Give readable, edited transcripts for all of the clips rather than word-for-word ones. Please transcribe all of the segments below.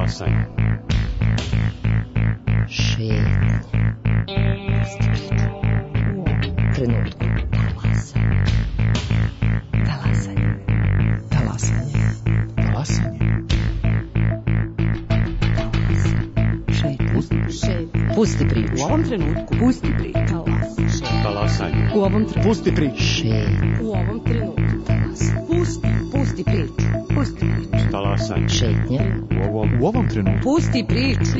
Talasanje. Šetnje. Trenutku. Talasanje. Talasanje. Talasanje. Šetnje. Pusti priču. U ovom trenutku. Pusti priču. Talasanje. U ovom trenutku. Pusti priču. Šetnje. U ovom trenutku. Pusti priču. Pusti priču. Talasanje. Šetnje. U ovom trenutku. Pusti priču.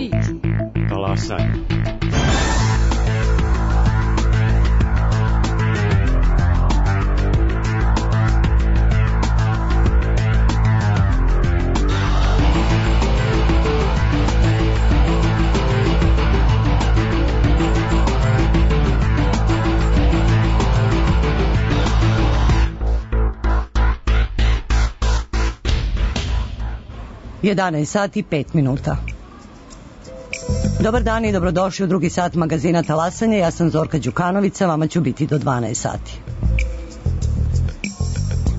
Talasanje. Jedanaest sati i 5 minuta. Dobar dan i dobrodošli u drugi sat magazina Talasanje. Ja sam Zorka Đukanovica, vama ću biti do 12 sati.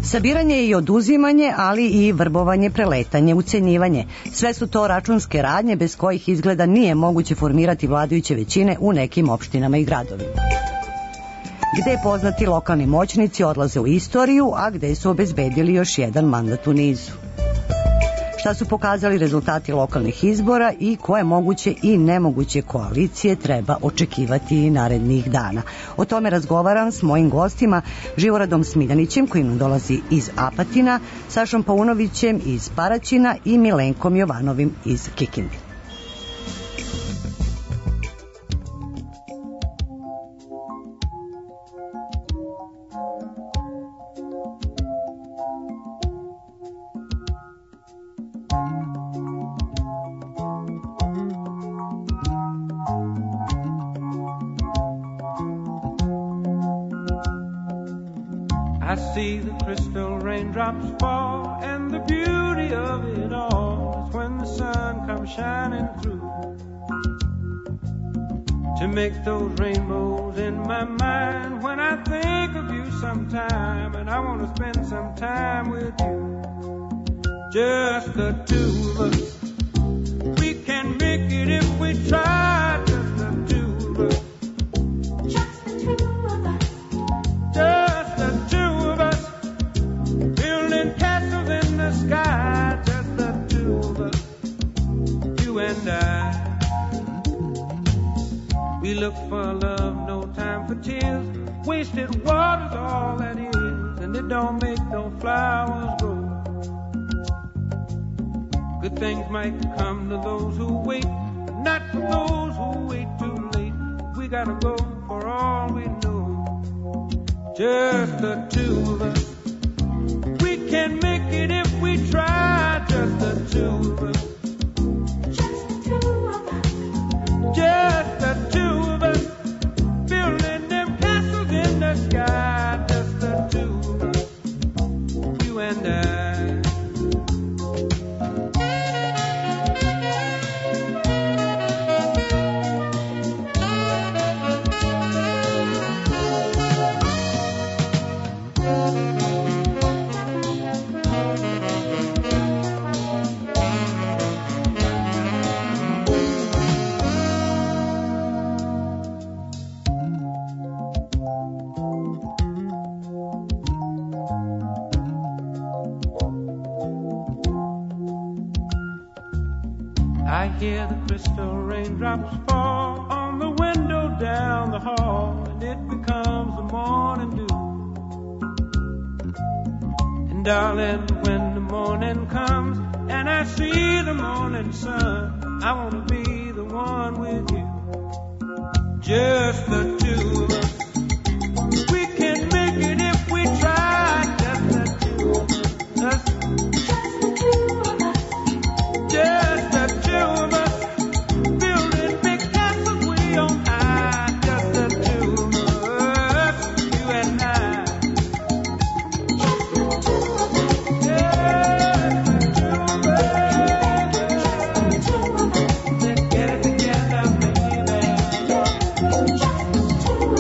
Sabiranje i oduzimanje, ali i vrbovanje, preletanje, ucenjivanje. Sve su to računske radnje bez kojih izgleda nije moguće formirati vladajuće većine u nekim opštinama i gradovima. Gde poznati lokalni moćnici odlaze u istoriju, a gde su obezbedili još jedan mandat u nizu. Šta su pokazali rezultati lokalnih izbora i koje moguće i nemoguće koalicije treba očekivati i narednih dana. O tome razgovaram s mojim gostima Živoradom Smiljanićem, koji nam dolazi iz Apatina, Sašom Paunovićem iz Paraćina i Milenkom Jovanovim iz Kikinde. I see the crystal raindrops fall, and the beauty of it all is when the sun comes shining through to make those rainbows in my mind. When I think of you sometime, and I want to spend some time with you, just the two of us. We can make it if we try, just the two of us. Just the two of us. Just the two of us. Building castles in the sky, just the two of us. You and I. We look for love, no time for tears. Wasted water's all that is, and it don't make no flowers grow. Good things might come to those who wait, but not for those who wait too late. We gotta go for all we know. Just the two of us. We can make it if we try. Just the two of us. Just the two of us. Just the two of us. Building them castles in the sky. Just the two of us. You and I. I hear the crystal raindrops fall on the window down the hall, and it becomes the morning dew. And darling, when the morning comes and I see the morning sun, I want to be the one with you. Just the two of us. We can make it if we try. Just the two of us. Just the two of us. Building big castles way on high. Just the two of us. You and I. Just the two of us. Just the two of us. Let's get it together, baby. Just the two of us.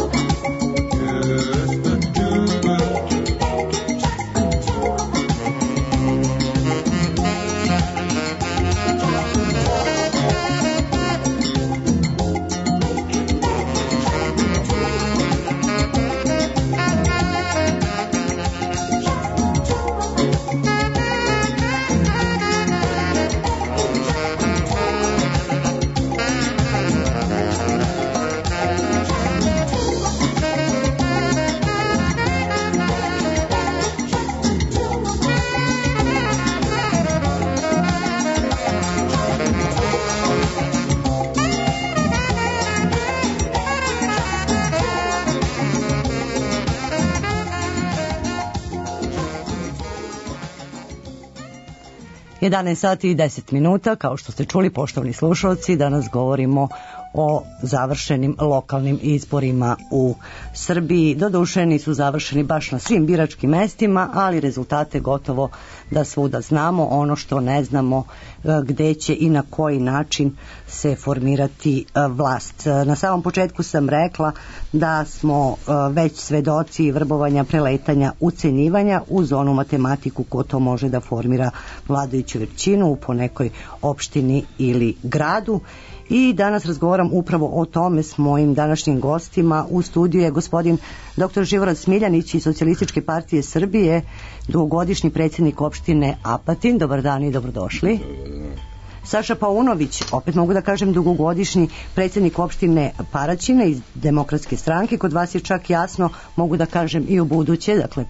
11 sati i 10 minuta, kao što ste čuli, poštovani slušalci, danas govorimo o završenim lokalnim izborima u Srbiji. Doduše nisu završeni baš na svim biračkim mestima, ali rezultate gotovo da svuda znamo. Ono što ne znamo, gde će i na koji način se formirati vlast. Na samom početku sam rekla da smo već svedoci vrbovanja, preletanja, ucenjivanja uz onu matematiku ko to može da formira vladajuću većinu po nekoj opštini ili gradu. I danas razgovaram upravo o tome s mojim današnjim gostima. U studiju je gospodin dr. Živorad Smiljanić iz Socijalističke partije Srbije, dugogodišnji predsjednik opštine Apatin. Dobar dan i dobrodošli. Saša Paunović, opet mogu da kažem dugogodišnji predsjednik opštine Paraćina iz Demokratske stranke. Kod vas je čak jasno, mogu da kažem i u buduće, dakle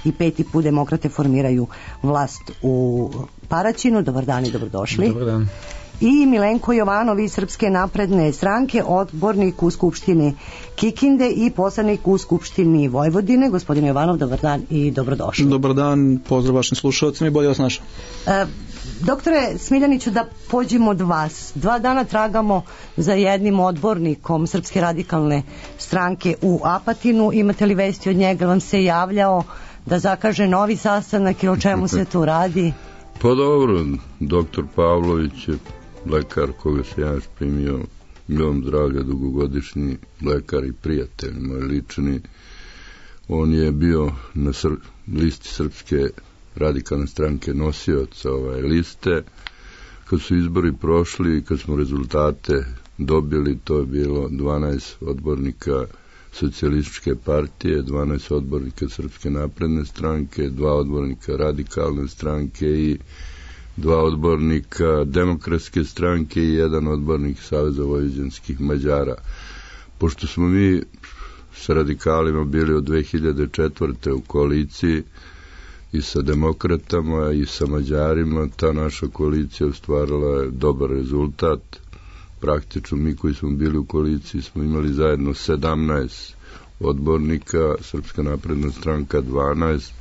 i 5. put demokrate formiraju vlast u Paraćinu. Dobar dan i dobrodošli. Dobar dan. I Milenko Jovanov iz Srpske napredne stranke, odbornik u Skupštini Kikinde i poslanik u Skupštini Vojvodine. Gospodine Jovanov, dobar dan i dobrodošli. Dobar dan, pozdrav vašim slušalcima i bolje vas našao. Doktore Smiljaniću, da pođemo od vas. 2 dana tragamo za jednim odbornikom Srpske radikalne stranke u Apatinu. Imate li vesti od njega? Vam se javljao da zakaže novi sastanak i o čemu se tu radi? Pa dobro, doktor Pavlović je lekar koga se ja primio, milom zdravlja, dugogodišnji lekar i prijatelj moj lični. On je bio na listi Srpske radikalne stranke nosioc liste. Kad su izbori prošli i kad smo rezultate dobili, to je bilo 12 odbornika Socijalističke partije, 12 odbornika Srpske napredne stranke, 2 odbornika Radikalne stranke i 2 odbornika Demokratske stranke i 1 odbornik Saveza vojvođanskih Mađara. Pošto smo mi sa radikalima bili od 2004. u koaliciji i sa demokratama i sa Mađarima, ta naša koalicija ostvarila je dobar rezultat. Praktično mi koji smo bili u koaliciji smo imali zajedno 17 odbornika, Srpska napredna stranka 12.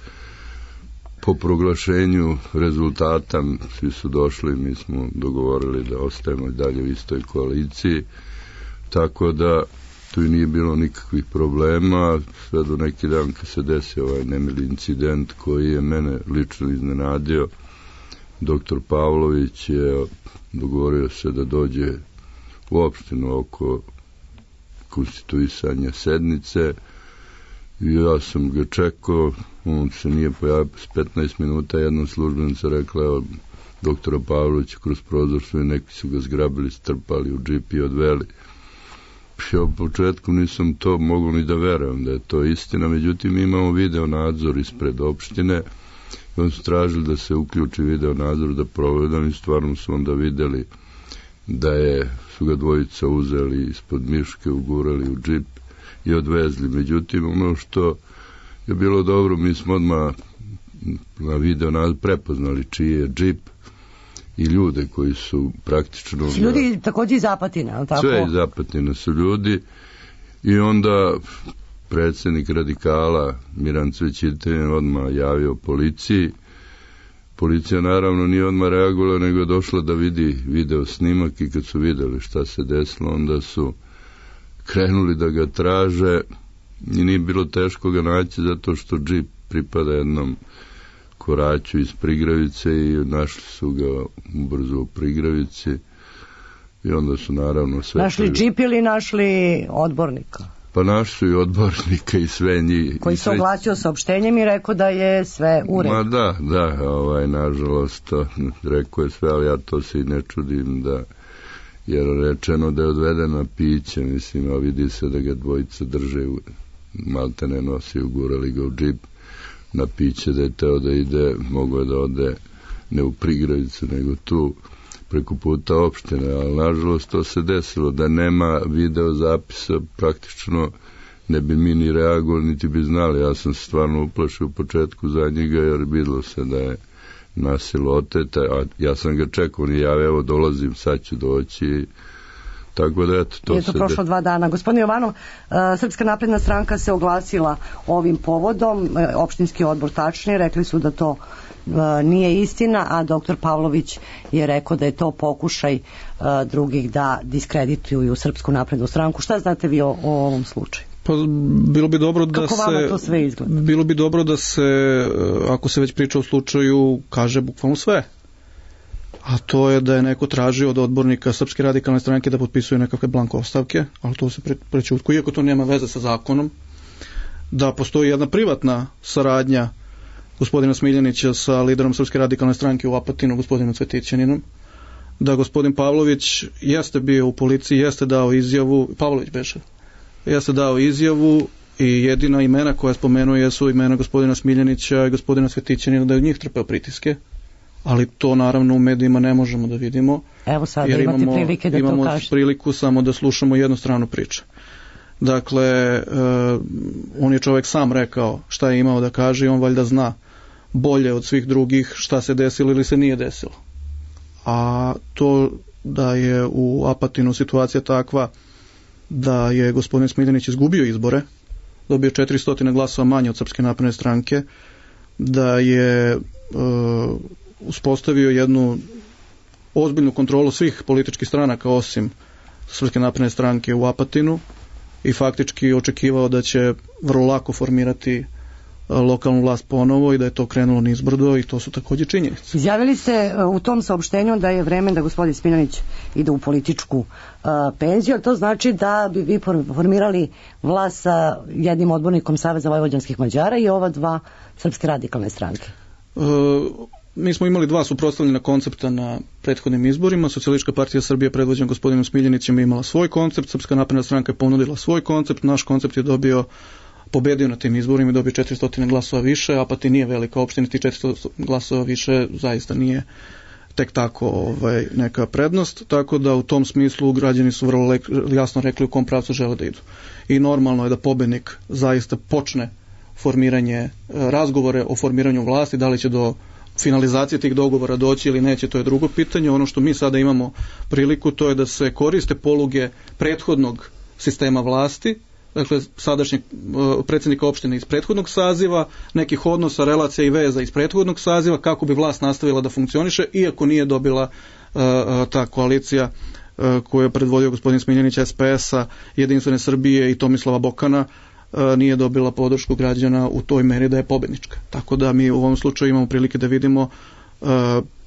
Po proglašenju rezultata svi su došli, mi smo dogovorili da ostajemo dalje u istoj koaliciji, tako da tu i nije bilo nikakvih problema, sve do neki dan kad se desio ovaj nemili incident koji je mene lično iznenadio. Doktor Pavlović je dogovorio se da dođe u opštinu oko konstituisanja sednice i ja sam ga čekao, on se nije pojavio s 15 minuta, jedna službenica rekla, evo, doktora Pavlovića kroz prozor su i neki su ga zgrabili, strpali u džip i odveli. Ja u početku nisam to mogao ni da verujem da je to istina, međutim imamo video nadzor ispred opštine i on su tražili da se uključi video nadzor, da provedam i stvarno su onda videli da su ga dvojica uzeli ispod miške, ugurali u džip i odvezli. Međutim, ono što je bilo dobro, mi smo odmah na video prepoznali čiji je džip i ljude koji su praktično... Ljudi također iz Apatina, ali tako? Sve iz Apatina su ljudi i onda predsjednik radikala Miran Cvećitin odmah javio policiji. Policija naravno nije odmah reagovala, nego je došla da vidi video snimak i kad su videli šta se desilo, onda su krenuli da ga traže i nije bilo teško ga naći zato što džip pripada jednom koraću iz Prigravice i našli su ga ubrzo u Prigravici i onda su naravno sve... Našli džip ili našli odbornika? Pa našli su i odbornika i sve njih. Koji se oglasio saopštenjem i rekao da je sve u redu. Ma da, nažalost, rekao je sve, ali ja to se i ne čudim da, jer rečeno da je odveden na piće, mislim, a vidi se da ga dvojica drže, malte ne nosi, ugurali ga u džip na piće, da je teo da ide, mogo je da ode ne u Prigravicu, nego tu preko puta opštine, ali nažalost to se desilo, da nema video zapisa, praktično ne bi mi ni reagovali, niti bi znali. Ja sam stvarno uplašio u početku za njega, jer videlo se da je nasilo oteta, a ja sam ga čekao, on je javio, evo dolazim, sad ću doći, Tako da eto, je to prošlo 2 dana. Gospodin Jovanov, Srpska napredna stranka se oglasila ovim povodom, opštinski odbor tačnije, rekli su da to nije istina, a doktor Pavlović je rekao da je to pokušaj drugih da diskredituju Srpsku naprednu stranku. Šta znate vi o ovom slučaju? Pa bilo bi dobro da kako vama to sve izgleda? Bilo bi dobro da se, ako se već priča o slučaju, kaže bukvalno sve. A to je da je neko tražio od odbornika Srpske radikalne stranke da potpisuje nekakve blanko ostavke, ali to se prećutko, iako to nema veze sa zakonom, da postoji jedna privatna saradnja gospodina Smiljanića sa liderom Srpske radikalne stranke u Apatinu, gospodinom Cvetićaninom, da gospodin Pavlović jeste bio u policiji, jeste dao izjavu, Pavlović beše, jeste dao izjavu i jedina imena koja spomenuje su imena gospodina Smiljanića i gospodina Cvetićanina, da je od njih trpeo pritiske, ali to naravno u medijima ne možemo da vidimo. Evo sad imate prilike da to kažete. Imamo priliku samo da slušamo jednu stranu priče. Dakle, on je čovjek sam rekao šta je imao da kaže i on valjda zna bolje od svih drugih šta se desilo ili se nije desilo. A to da je u Apatinu situacija takva da je gospodin Smiljanić izgubio izbore, dobio 400 glasova manje od Srpske napredne stranke, da je uspostavio jednu ozbiljnu kontrolu svih političkih stranaka osim Srpske napredne stranke u Apatinu i faktički očekivao da će vrlo lako formirati lokalnu vlast ponovo i da je to krenulo nizbrdo i to su također činjenice. Izjavili ste u tom saopštenju da je vreme da gospodin Smiljanić ide u političku penziju, to znači da bi vi formirali vlast sa jednim odbornikom Saveza vojvođanskih Mađara i ova 2 Srpske radikalne stranke. Mi smo imali 2 suprotstavljena koncepta na prethodnim izborima. Socijalistička partija Srbije predvođena gospodinom Smiljanićem je imala svoj koncept, Srpska napredna stranka je ponudila svoj koncept, naš koncept je pobedio na tim izborima i dobio 400 glasova više, Apatin nije velika opština, ti 400 glasova više zaista nije tek tako neka prednost, tako da u tom smislu građani su vrlo jasno rekli u kom pravcu žele da idu. I normalno je da pobednik zaista počne formiranje, razgovore o formiranju vlasti, da li će do finalizacije tih dogovora doći ili neće, to je drugo pitanje. Ono što mi sada imamo priliku, to je da se koriste poluge prethodnog sistema vlasti, dakle sadašnjeg predsjednika opštine iz prethodnog saziva, nekih odnosa, relacija i veza iz prethodnog saziva, kako bi vlast nastavila da funkcioniše, iako nije dobila ta koalicija koju je predvodio gospodin Smiljanić SPS-a, Jedinstvene Srbije i Tomislava Bokana, nije dobila podršku građana u toj meri da je pobednička. Tako da mi u ovom slučaju imamo prilike da vidimo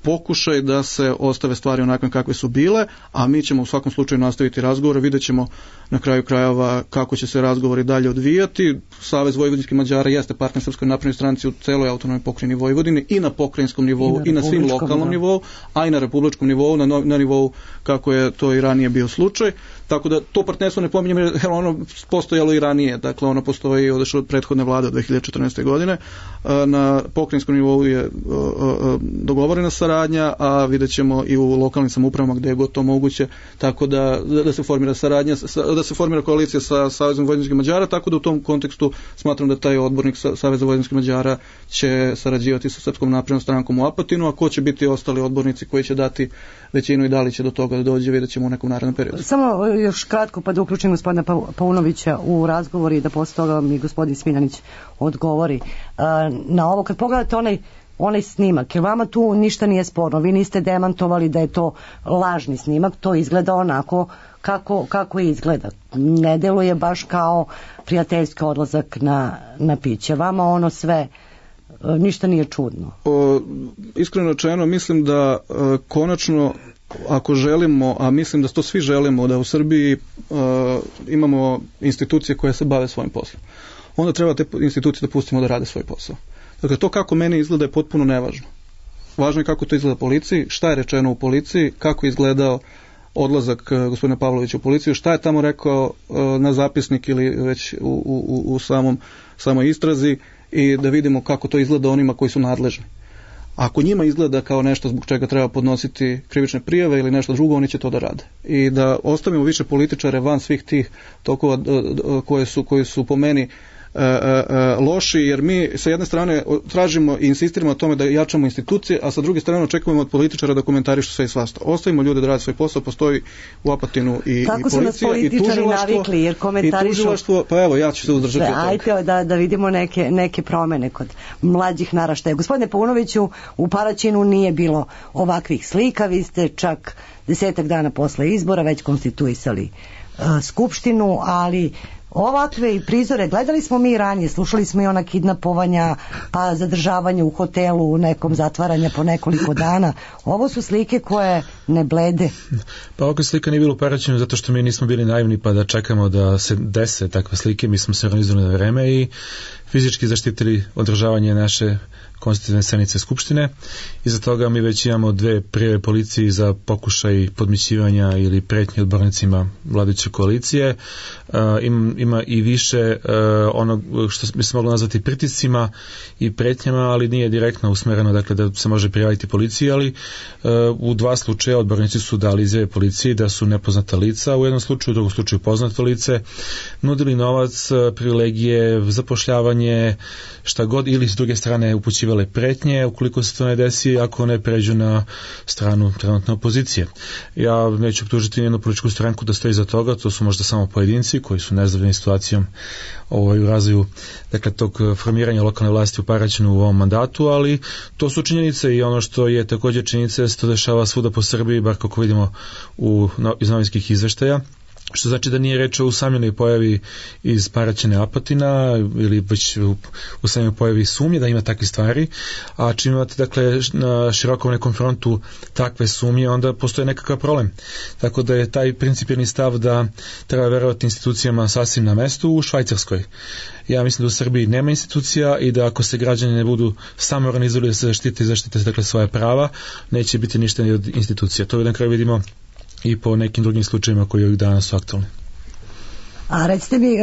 pokušaj da se ostave stvari onakve kakve su bile, a mi ćemo u svakom slučaju nastaviti razgovore, vidjet ćemo na kraju krajeva kako će se razgovori dalje odvijati. Savez vojvođanskih Mađara jeste partner Srpskoj naprednoj stranci u celoj autonomnoj pokrajini Vojvodine i na pokrajinskom nivou i na svim lokalnom nivou, a i na republičkom nivou, na nivou kako je to i ranije bio slučaj. Tako da to partnerstvo ne pominjem jer ono postojalo i ranije, dakle ono postoji od prethodne vlade od 2014. godine. Na pokrajinskom nivou je dogovorena saradnja, a vidjet ćemo i u lokalnim samoupravama gdje je god to moguće, tako da se formira saradnja, da se formira koalicija sa Savezom vojvođanskih Mađara, tako da u tom kontekstu smatram da taj odbornik Saveza vojvođanskih Mađara će sarađivati sa Srpskom naprednom strankom u Apatinu, a ko će biti ostali odbornici koji će dati većinu i da li će do toga da dođe, vidjet ćemo u nekom narednom periodu. Samo još kratko pa da uključim gospodina Paunovića u razgovor i da posle toga mi gospodin Smiljanić odgovori na ovo. Kad pogledate onaj snimak, jer vama tu ništa nije sporno, vi niste demantovali da je to lažni snimak, to izgleda onako kako izgleda. Ne deluje baš kao prijateljski odlazak na piće. Vama ono sve ništa nije čudno. Iskreno rečeno, mislim da konačno, ako želimo, a mislim da to svi želimo, da u Srbiji imamo institucije koje se bave svojim poslom, onda treba te institucije da pustimo da rade svoj posao. Dakle, to kako meni izgleda je potpuno nevažno. Važno je kako to izgleda policiji, šta je rečeno u policiji, kako je izgledao odlazak gospodina Pavlovića u policiju, šta je tamo rekao na zapisnik ili već u samoj istrazi i da vidimo kako to izgleda onima koji su nadležni. Ako njima izgleda kao nešto zbog čega treba podnositi krivične prijave ili nešto drugo, oni će to da rade. I da ostavimo više političare van svih tih tokova koji su po meni loši, jer mi sa jedne strane tražimo i insistiramo o tome da jačamo institucije, a sa druge strane očekujemo od političara da komentarišu sve i svašta. Ostavimo ljude da rade svoj posao, postoji u Apatinu i policija i tužilaštvo, pa evo ja ću se uzdržati od toga. Ajde da vidimo neke promene kod mlađih naraštaja. Gospodine Paunoviću, u Paraćinu nije bilo ovakvih slika, vi ste čak 10 dana posle izbora već konstituisali skupštinu, ali ovakve i prizore gledali smo mi ranije, slušali smo i ona kidnapovanja, pa zadržavanje u hotelu, nekom zatvaranja po nekoliko dana. Ovo su slike koje ne blede. Pa ovakve slika nije bilo u Paraćinu zato što mi nismo bili naivni pa da čekamo da se dese takve slike. Mi smo se organizovali na vreme i fizički zaštitili održavanje naše konstitutivne sednice Skupštine. Iza toga mi već imamo 2 prijave policiji za pokušaj podmićivanja ili pretnje odbornicima vladajuće koalicije. Ima i više onog što bi se moglo nazvati pritiscima i pretnjama, ali nije direktno usmereno, dakle da se može prijaviti policiji, ali u 2 slučaja odbornici su dali izjave policiji da su nepoznata lica, u jednom slučaju, u drugom slučaju poznato lice, nudili novac, privilegije, zapošljavanje, šta god, ili s druge strane upućivale pretnje ukoliko se to ne desi, ako ne pređu na stranu trenutne opozicije. Ja neću optužiti nijednu političku stranku da stoji za toga, to su možda samo pojedinci koji su nezadovoljni situacijom u razvoju, dakle, tog formiranja lokalne vlasti u Paraćinu u ovom mandatu, ali to su činjenice i ono što je također činjenica da se to dešava svuda po Srbiji, bar kako vidimo iz novinskih izveštaja, što znači da nije reč o usamljenoj pojavi iz Paraćina Apatina ili već u samoj pojavi sumnje da ima takve stvari, a čim imate, dakle, na širokom nekom frontu takve sumnje, onda postoje nekakav problem. Tako da je taj principijelni stav da treba verovati institucijama sasvim na mestu u Švajcarskoj. Ja mislim da u Srbiji nema institucija i da ako se građani ne budu samo organizovali da se zaštite dakle svoje prava, neće biti ništa ni od institucija. To na kraju vidimo i po nekim drugim slučajima koji ovih dana su aktualni. A recite mi,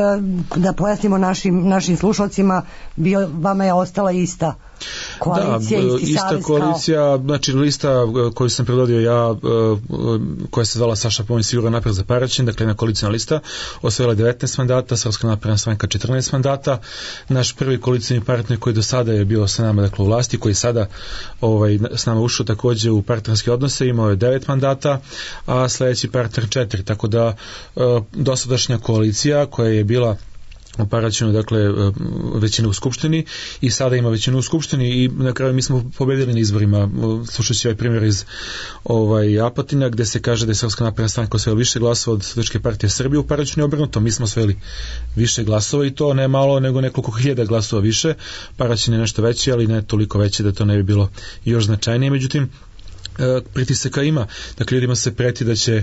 da pojasnimo našim slušalcima, vama je ostala ista koalicija, isti ista savez koalicija, znači lista koju sam predvodio ja, koja se zvala Saša Pomonj Sigurno napred za Paraćin, dakle jedna koalicijna lista, osvojila 19 mandata, Srpska napredna stranka 14 mandata, naš prvi koalicijni partner koji do sada je bio sa nama, dakle u vlasti, koji sada s nama ušao također u partnerske odnose, imao je 9 mandata, a sljedeći partner 4, tako da dosadašnja koalicija koja je bila u Paraćinu, dakle, većina u Skupštini i sada ima većinu u Skupštini i na kraju mi smo pobedili na izborima. Slušajući ovaj primjer iz Apatina gdje se kaže da je Srpska napredna stranka osvojila više glasova od Socijalističke partije Srbije, u Paraćinu je obrnuto, mi smo osvojili više glasova i to ne malo nego nekoliko hiljada glasova više. Paraćin je nešto veći, ali ne toliko veći da to ne bi bilo još značajnije. Međutim, pritisaka ima. Dakle, ljudima se preti da će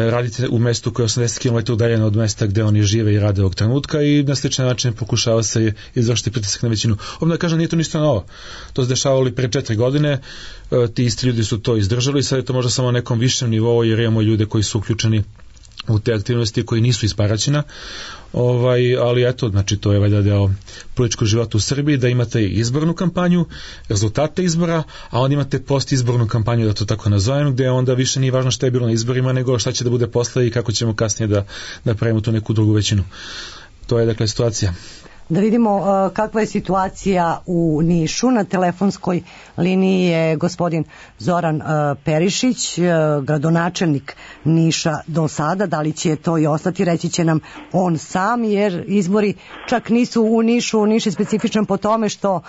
raditi u mestu koje je 80 km udaljeno od mesta gde oni žive i rade ovog trenutka i na sličan način pokušava se izvršiti pritisak na većinu. Ovdje da kažem, nije to ništa novo. To se dešavalo pre 4 godine, ti isti ljudi su to izdržali i sad je to možda samo na nekom višem nivou jer imamo ljude koji su uključeni u te aktivnosti koji nisu iz Paraćina, ali eto, znači to je valjda deo političkog života u Srbiji, da imate izbornu kampanju, rezultate izbora, a onda imate postizbornu kampanju, da to tako nazovem, gde onda više nije važno šta je bilo na izborima, nego šta će da bude posle i kako ćemo kasnije da pravimo tu neku drugu većinu. To je, dakle, situacija. Da vidimo kakva je situacija u Nišu. Na telefonskoj liniji je gospodin Zoran Perišić, gradonačelnik Niša do sada. Da li će to i ostati, reći će nam on sam, jer izbori čak nisu u Nišu. Niš je specifičan po tome što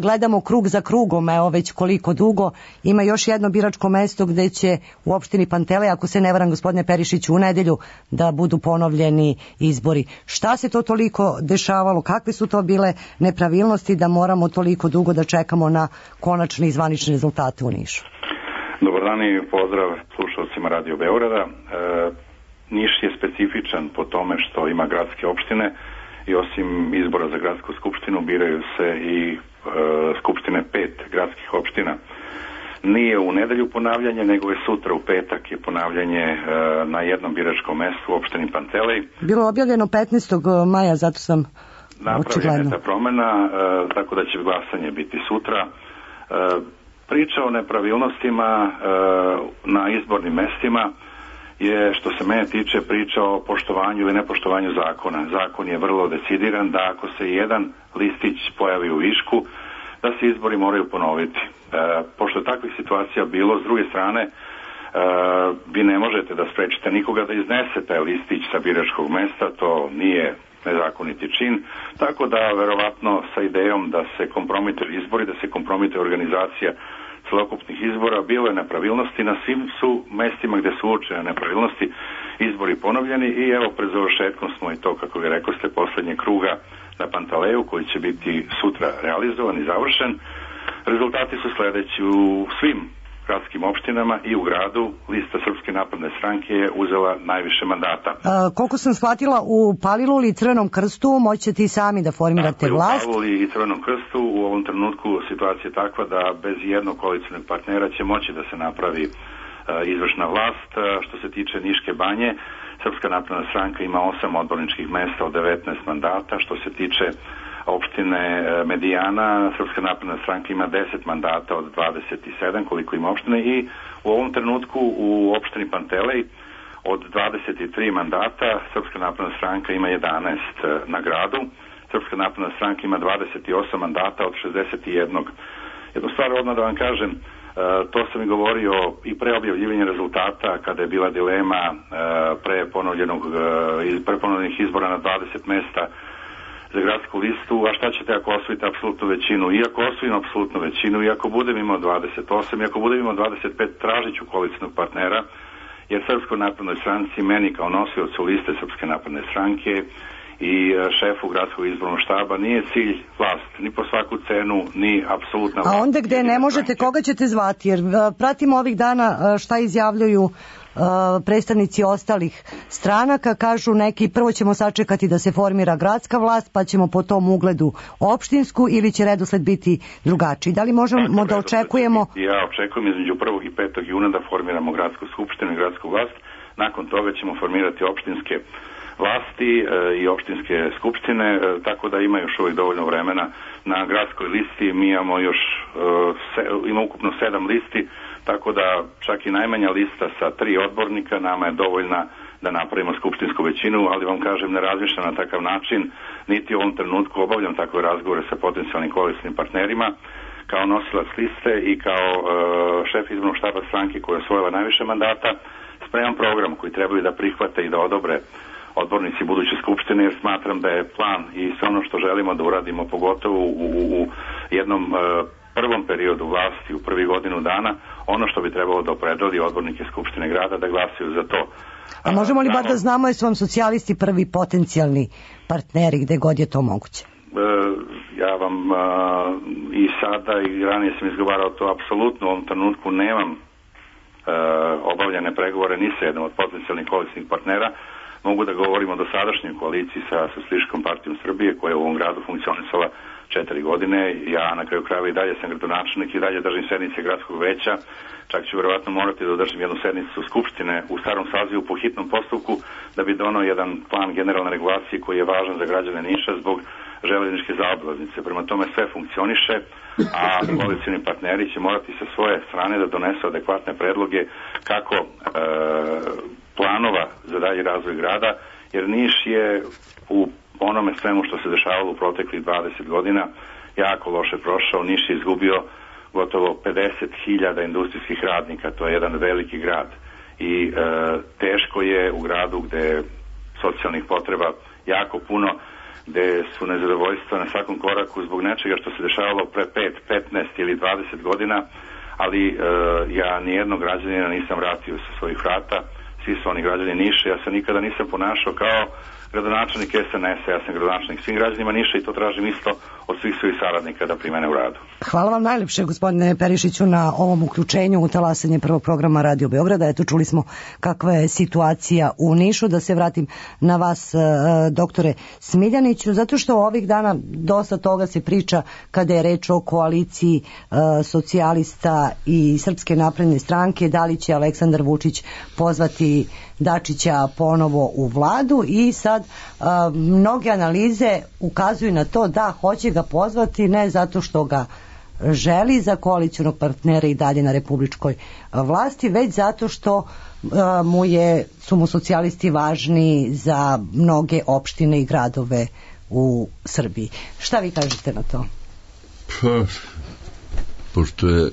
gledamo krug za krugom, evo već koliko dugo. Ima još jedno biračko mesto gde će u opštini Pantelej, ako se ne varam, gospodine Perišiću, u nedelju da budu ponovljeni izbori. Šta se to toliko dešavalo? Kakve su to bile nepravilnosti da moramo toliko dugo da čekamo na konačne i zvanične rezultate u Nišu? Dobar dan i pozdrav slušalcima Radio Beograda. Niš je specifičan po tome što ima gradske opštine i osim izbora za gradsku skupštinu biraju se i skupštine 5 gradskih opština. Nije u nedelju ponavljanje, nego je sutra u petak je ponavljanje na jednom biračkom mestu u opštini Pantelej. Bilo objavljeno 15. maja, zato sam napravljena je ta promjena, tako da će glasanje biti sutra. Priča o nepravilnostima na izbornim mestima je, što se mene tiče, priča o poštovanju ili nepoštovanju zakona. Zakon je vrlo decidiran da ako se jedan listić pojavi u višku, da se izbori moraju ponoviti. Pošto je takvih situacija bilo, s druge strane, vi ne možete da sprečite nikoga da iznese taj listić sa biračkog mesta, to nije nezakoniti čin, tako da verovatno sa idejom da se kompromituju izbori, da se kompromituje organizacija celokupnih izbora, bilo je nepravilnosti, na svim su mestima gde su uočene nepravilnosti izbori ponovljeni i evo pred završetkom smo i to, kako ga rekao ste, poslednje kruga na Pantaleju koji će biti sutra realizovan i završen. Rezultati su sledeći: u svim gradskim opštinama i u gradu lista Srpske napredne stranke je uzela najviše mandata. Koliko sam shvatila, u Paliluli i Crvenom krstu moćete i sami da formirate vlast? U Paliluli i Crvenom krstu u ovom trenutku situacija je takva da bez jednog koalicionog partnera će moći da se napravi izvršna vlast. Što se tiče Niške banje, Srpska napredna stranka ima 8 odborničkih mesta od 19 mandata. Što se tiče opštine Medijana, Srpska napredna stranka ima 10 mandata od 27, koliko ima opštine, i u ovom trenutku u opštini Pantelej od 23 mandata Srpska napredna stranka ima 11 na gradu. Srpska napredna stranka ima 28 mandata od 61. Jednu stvar odmah da vam kažem, to sam i govorio i pre objavljivanja rezultata kada je bila dilema pre ponovljenih izbora na 20 mesta za gradsku listu, a šta ćete ako osvojite apsolutnu većinu? I ako osvojim apsolutnu većinu, i ako budem imao 28, i ako budem imao 25, tražit ću koalicionog partnera, jer Srpskoj naprednoj stranci, meni kao nosiocu liste Srpske napredne stranke i šefu gradskog izbornog štaba nije cilj vlast, ni po svaku cenu, ni apsolutna vlast. A onda gde ne možete, koga ćete zvati? Jer pratimo ovih dana šta izjavljuju predstavnici ostalih stranaka, kažu neki prvo ćemo sačekati da se formira gradska vlast pa ćemo po tom ugledu opštinsku, ili će redosled biti drugačiji. Da li možemo da očekujemo? Ja očekujem između 1. i 5. juna da formiramo gradsku skupštinu i gradsku vlast. Nakon toga ćemo formirati opštinske vlasti i opštinske skupštine, tako da ima još uvijek dovoljno vremena. Na gradskoj listi mi imamo još ima ukupno 7 listi, tako da čak i najmanja lista sa 3 odbornika nama je dovoljna da napravimo skupštinsku većinu, ali vam kažem, ne razmišljam na takav način, niti u ovom trenutku obavljam takve razgovore sa potencijalnim koalicionim partnerima. Kao nosilac liste i kao šef izbornog štaba stranke koja je osvojila najviše mandata, spremam program koji trebaju da prihvate i da odobre odbornici buduće skupštine, jer smatram da je plan i sve ono što želimo da uradimo, pogotovo u jednom prvom periodu vlasti, u prvih godinu dana, ono što bi trebalo da opredeli odbornike Skupštine grada da glasaju za to. A možemo li bar da znamo jesu vam socijalisti prvi potencijalni partneri gde god je to moguće? Ja vam i sada i ranije sam izgovarao to, apsolutno u ovom trenutku nemam obavljene pregovore ni sa jednom od potencijalnih koalicijnih partnera. Mogu da govorimo o dosadašnjoj koaliciji sa Socijalističkom partijom Srbije koja je u ovom gradu funkcionisala 4 godine. Ja na kraju krajeva i dalje sam gradonačelnik i dalje držim sednice gradskog veća. Čak ću verovatno morati da održim jednu sednicu Skupštine u starom sazivu po hitnom postupku da bi donao jedan plan generalne regulacije koji je važan za građane Niša zbog železničke zaobilaznice. Prema tome sve funkcioniše, a koalicioni partneri će morati sa svoje strane da donesu adekvatne predloge kako planova za dalji razvoj grada, jer Niš je u onome svemu što se dešavalo u proteklih 20 godina jako loše prošao. Niš je izgubio gotovo 50.000 industrijskih radnika, to je jedan veliki grad i teško je u gradu gde je socijalnih potreba jako puno, gde su nezadovoljstva na svakom koraku zbog nečega što se dešavalo pre 5, 15 ili 20 godina, ali ja nijednog građanina nisam vratio sa svojih vrata, svi su oni građani Niša, ja se nikada nisam ponašao kao gradonačelnik SNS-a, ja sam gradonačelnik svim građanima Niša i to tražim isto od svih svojih saradnika da primene u radu. Hvala vam najlepše, gospodine Perišiću, na ovom uključenju u talasanje prvog programa Radio Beograda. Eto, čuli smo kakva je situacija u Nišu. Da se vratim na vas, doktore Smiljaniću, zato što ovih dana dosta toga se priča kada je reč o koaliciji socijalista i Srpske napredne stranke, da li će Aleksandar Vučić pozvati Dačića ponovo u vladu, i sad mnoge analize ukazuju na to da hoće ga pozvati ne zato što ga želi za koalicionog partnera i dalje na republičkoj vlasti, već zato što su mu socijalisti važni za mnoge opštine i gradove u Srbiji. Šta vi kažete na to? Pa, pošto je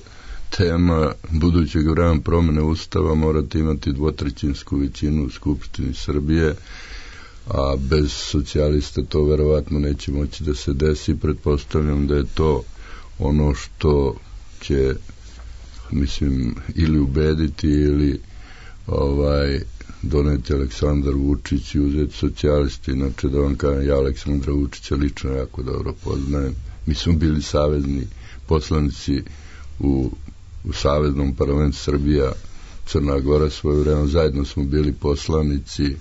tema budućeg vremena promene Ustava, morate imati 2/3 većinu u Skupštini Srbije, a bez socijalista to verovatno neće moći da se desi. Pretpostavljam da je to ono što će, mislim, ili ubediti ili doneti Aleksandar Vučić i uzeti socijalisti. Inače, da vam kažem, ja Aleksandra Vučića lično jako dobro poznajem. Mi smo bili savezni poslanici u Saveznom parlamentu Srbija, Crna Gora svoje vreme, zajedno smo bili poslanici.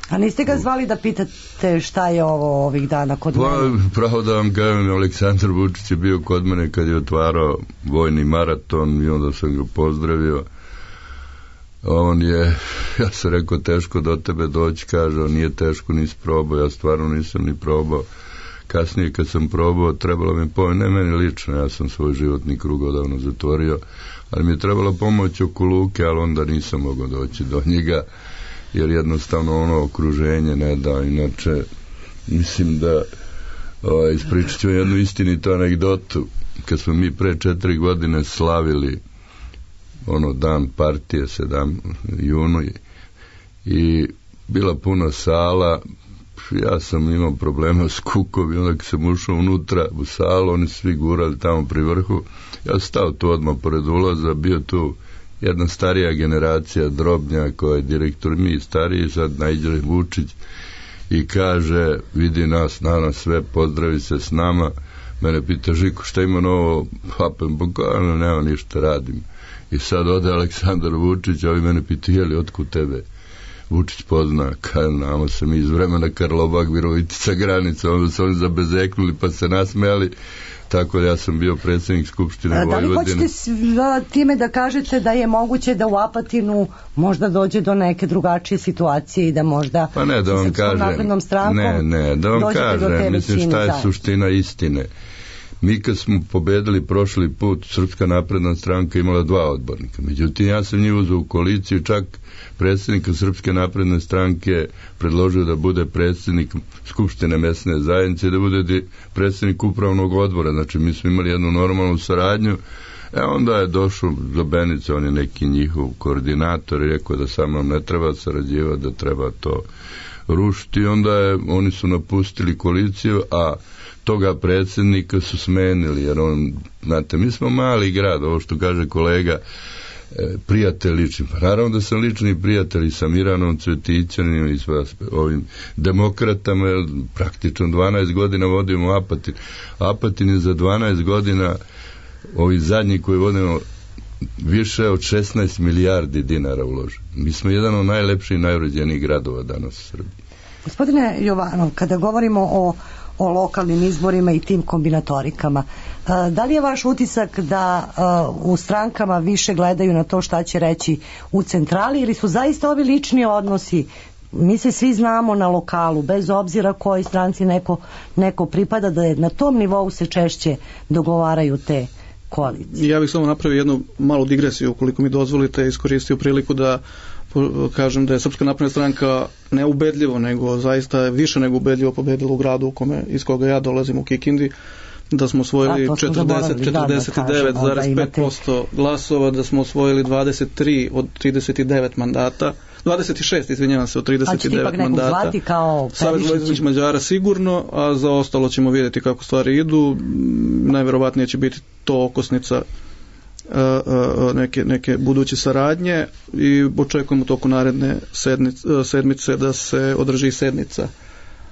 A niste ga zvali da pitate šta je ovo ovih dana kod mene? Pravo da vam kažem, Aleksandar Vučić je bio kod mene kad je otvarao vojni maraton i onda sam ga pozdravio. On je, ja sam rekao, teško do tebe doći, kaže, on nije teško, nisi probao, ja stvarno nisam ni probao. Kasnije kad sam probao, trebalo mi pomoć, ne meni lično, ja sam svoj životni krug odavno zatvorio, ali mi je trebalo pomoć oko Luke, ali onda nisam mogao doći do njega, jer jednostavno ono okruženje ne da. Inače, mislim da ispričat ću jednu istinitu anegdotu. Kad smo mi pre 4 godine slavili dan partije 7. junu i bila puna sala, ja sam imao problema s kukom i onda kad sam ušao unutra u salu, oni svi gurali tamo pri vrhu, ja sam stao tu odmah pored ulaza, bio tu jedna starija generacija Drobnja koja je direktor, mi stariji, sad naiđe Vučić i kaže, vidi nas, danas sve, pozdravi se s nama. Mene pita, Žiko, šta ima novo? Papem, bukvalno nema ništa, radim. I sad ode Aleksandar Vučić, a ovi mene pita, jeli, otkud tebe Vučić pozna? Kaj, nama se mi iz vremena Karlobag, Virovitica, granica, onda su oni zabezeknuli pa se nasmejali. Tako da ja sam bio predsjednik Skupštine Vojvodine. Da li hoćete time da kažete da je moguće da u Apatinu možda dođe do neke drugačije situacije i da možda pa ne, da vam kažem, da vam kažem, mislim šta je suština istine. Mi kad smo pobedili prošli put, Srpska napredna stranka imala 2 odbornika. Međutim, ja sam njih uzeo u koaliciju, čak predsjednika Srpske napredne stranke predložio da bude predsjednik Skupštine mesne zajednice i da bude predsjednik upravnog odbora. Znači, mi smo imali jednu normalnu saradnju. Onda je došao do Benice, on je neki njihov koordinator i rekao da sa mnom ne treba sarađivati, da treba to rušiti. Onda oni su napustili koaliciju, a toga predsjednika su smenili, jer znate, mi smo mali grad, ovo što kaže kolega, prijatelj lični. Naravno da sam lični prijatelj i sa Miranom Cvetićanim i sa ovim demokratama, jer praktično 12 godina vodimo Apatin. Apatin je za 12 godina, ovi zadnji koji vodimo, više od 16 milijardi dinara uložen. Mi smo jedan od najlepših i najuređenijih gradova danas u Srbiji. Gospodine Jovanov, kada govorimo o lokalnim izborima i tim kombinatorikama, da li je vaš utisak da u strankama više gledaju na to šta će reći u centrali ili su zaista ovi lični odnosi, mi se svi znamo na lokalu, bez obzira kojoj stranci neko pripada, da je na tom nivou se češće dogovaraju te koalicije? Ja bih samo napravio jednu malu digresiju, ukoliko mi dozvolite, iskoristio priliku da kažem da je Srpska napredna stranka neubedljivo, nego zaista više nego ubedljivo pobedila u gradu iz koga ja dolazim, u Kikindi, da smo osvojili 49,5% glasova, da smo osvojili 23 od 39 mandata, 26, izvinjavam se, od 39 mandata. Savez vojvođanskih Mađara sigurno, a za ostalo ćemo vidjeti kako stvari idu. Najverovatnije će biti to okosnica neke buduće saradnje i očekujemo toku naredne sedmice da se održi sednica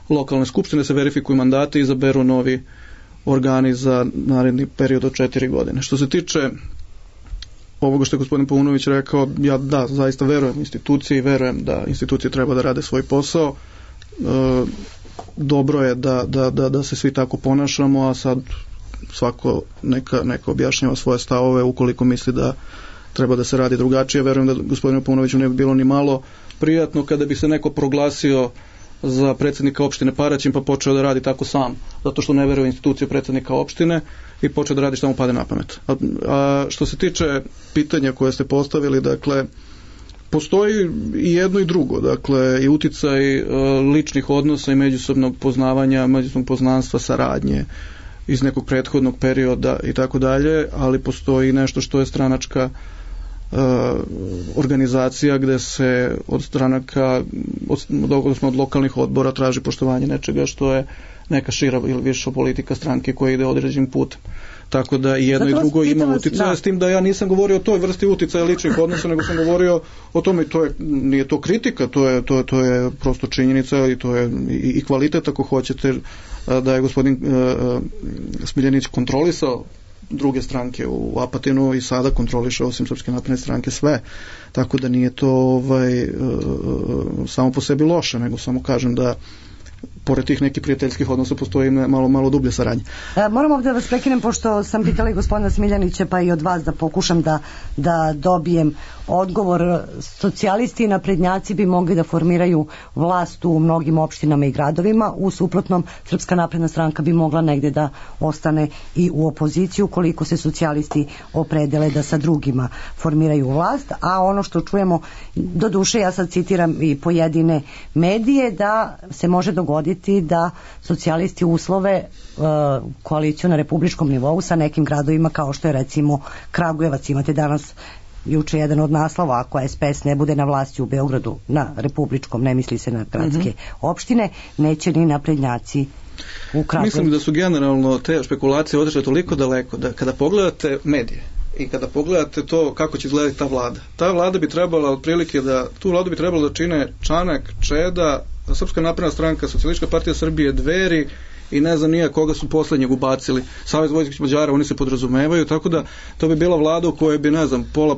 lokalne skupštine, da se verifikuju mandati i izaberu novi organi za naredni period od 4 godine. Što se tiče ovoga što je gospodin Paunović rekao, ja zaista verujem instituciji, verujem da institucije treba da rade svoj posao. Dobro je da se svi tako ponašamo, a sad svako neka objašnjava svoje stavove ukoliko misli da treba da se radi drugačije. Verujem da gospodinu Paunoviću ne bi bilo ni malo prijatno kada bi se neko proglasio za predsjednika opštine Paraćin, pa počeo da radi tako sam, zato što ne veruje u instituciju predsjednika opštine i počeo da radi šta mu pade na pamet. A što se tiče pitanja koje ste postavili, dakle, postoji i jedno i drugo, dakle, i uticaj ličnih odnosa i međusobnog poznavanja, međusobnog poznanstva, saradnje iz nekog prethodnog perioda i tako dalje, ali postoji nešto što je stranačka organizacija gde se od stranaka, od lokalnih odbora traži poštovanje nečega što je neka šira ili viša politika stranke koja ide određenim putem. Tako da i jedno i drugo ima uticaja, s tim da ja nisam govorio o toj vrsti uticaja ličnih odnosa, nego sam govorio o tome, nije to kritika, to je prosto činjenica i to je i kvalitet, ako hoćete, da je gospodin Smiljanić kontrolisao druge stranke u Apatinu i sada kontroliše osim Srpske napredne stranke sve, tako da nije to samo po sebi loše, nego samo kažem da pored tih nekih prijateljskih odnosa postoji malo dublje saradnje. Moram ovdje da vas prekinem, pošto sam pitala i gospodina Smiljanića, pa i od vas da pokušam da dobijem odgovor. Socijalisti i naprednjaci bi mogli da formiraju vlast u mnogim opštinama i gradovima, u suprotnom Srpska napredna stranka bi mogla negde da ostane i u opoziciju koliko se socijalisti opredele da sa drugima formiraju vlast, a ono što čujemo, do duše ja sad citiram i pojedine medije, da se može dogoditi da socijalisti uslove koaliciju na republičkom nivou sa nekim gradovima kao što je recimo Kragujevac. Imate danas juče jedan od naslova, ako SPS ne bude na vlasti u Beogradu na republičkom, ne misli se na gradske opštine, neće ni naprednjaci u Kragujevcu. Mislim da su generalno te špekulacije otišle toliko daleko da kada pogledate medije i kada pogledate to kako će izgledati ta vlada bi trebala otprilike tu vladu bi trebalo da čine Čanak, Čeda, Srpska napredna stranka, Socijalistička partija Srbije, Dveri i ne znam nije koga su poslednjeg ubacili, Savez vojvođanskih Mađara, oni se podrazumevaju, tako da to bi bila vlada u kojoj bi, ne znam, pola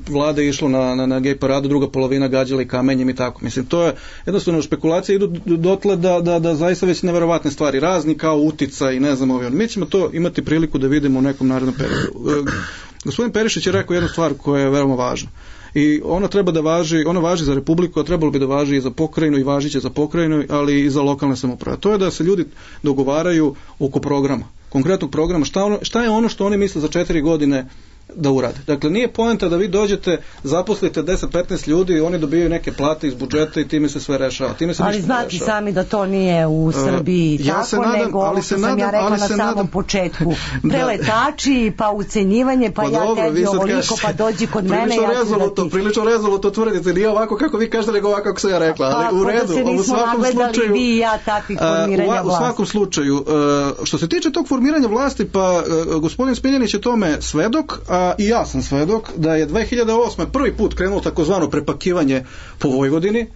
vlade išlo na gej paradu, druga polovina gađala i kamenjem i tako. Mislim, to je jednostavno špekulacije idu dotle da zaista već neverovatne stvari, razni kao utica i ne znam ovi. Mi ćemo to imati priliku da vidimo u nekom narednom periodu. Gospodin Perišić je rekao jednu stvar koja je veoma važna. I ona treba da važi, ona važi za Republiku, a trebalo bi da važi i za pokrajinu i važiće za pokrajinu, ali i za lokalne samouprave. To je da se ljudi dogovaraju oko programa, konkretnog programa, šta je ono što oni misle za 4 godine da urade. Dakle, nije poenta da vi dođete, zaposlite 10-15 ljudi i oni dobijaju neke plate iz budžeta i time se sve rešava. Ali znate sami da to nije u Srbiji tako, nego ovo što sam ja rekla na samom početku. Preletači, pa ucenjivanje, pa ja tebi ovoliko, pa dođi kod mene. Prilično rezoluto tvrdite, nije ovako kako vi kažete, nego ovako kako sam ja rekla. Ali u redu, u svakom slučaju, vi i ja takvih formiranja vlasti. U svakom slučaju, što se tiče tog formiranja vlasti, pa gospodin Smiljanić je tome svedok, i ja sam svedok da je 2008. prvi put krenulo takozvano prepakivanje po Vojvodini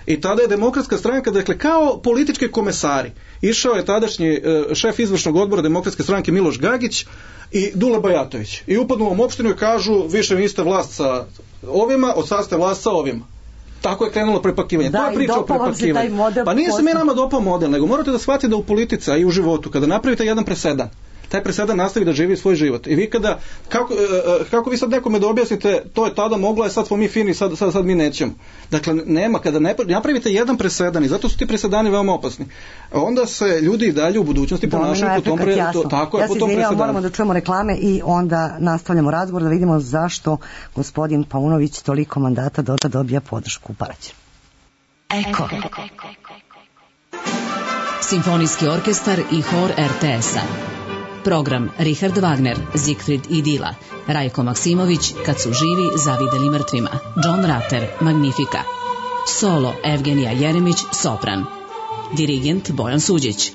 i tada je Demokratska stranka, dakle kao politički komesari, išao je tadašnji šef izvršnog odbora Demokratske stranke Miloš Gagić i Dule Bajatović i upadnu u ovom opštinu i kažu više niste vlast sa ovima, od sad ste vlast sa ovima. Tako je krenulo prepakivanje. Da, to je priča o prepakivanju. Pa nije se mi nama dopao model, nego morate da shvatite da u politici, a i u životu, kada napravite jedan presedan, taj presedan nastavi da živi svoj život. I vi kada, kako vi sad nekome da objasnite, to je tada moglo, je sad smo mi fini, sad mi nećemo. Dakle, nema, kada napravite jedan presedan, i zato su ti presedani veoma opasni, onda se ljudi i dalje u budućnosti ponašaju po tom tako je, po tom presedanu. Moramo da čujemo reklame i onda nastavljamo razgovor da vidimo zašto gospodin Paunović toliko mandata dobija podršku u Paraćinu. Eko. Simfonijski orkestar i hor RTS-a. Program Richard Wagner, Siegfried i Dila, Rajko Maksimović, Kad su živi zavideli mrtvima, John Ratter, Magnifica. Solo Evgenija Jeremić, sopran. Dirigent Bojan Suđić.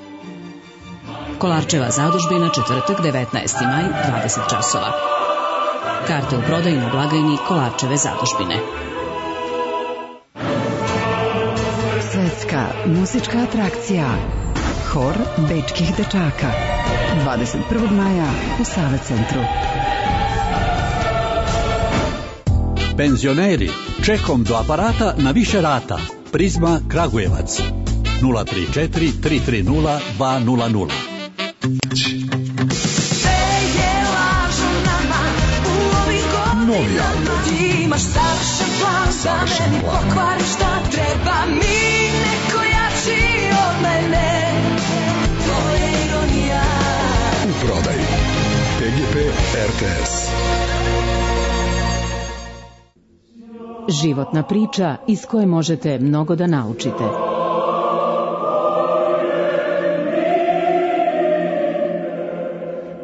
Kolarčeva zadužbina, četvrtak, 19. maj, 20 časova. Karte u prodaju na blagajni Kolarčeve zadužbine. Svetska muzička atrakcija Hor bečkih dečaka 21. maja u Save centru. Penzioneri, čekom do aparata na više rata. Prizma Kragujevac 034 330 200. Novi album. Savršen plan. Treba mi neko ja beži od mene. To je ironija. U prodaji PGP RTS. Životna priča iz koje možete mnogo da naučite.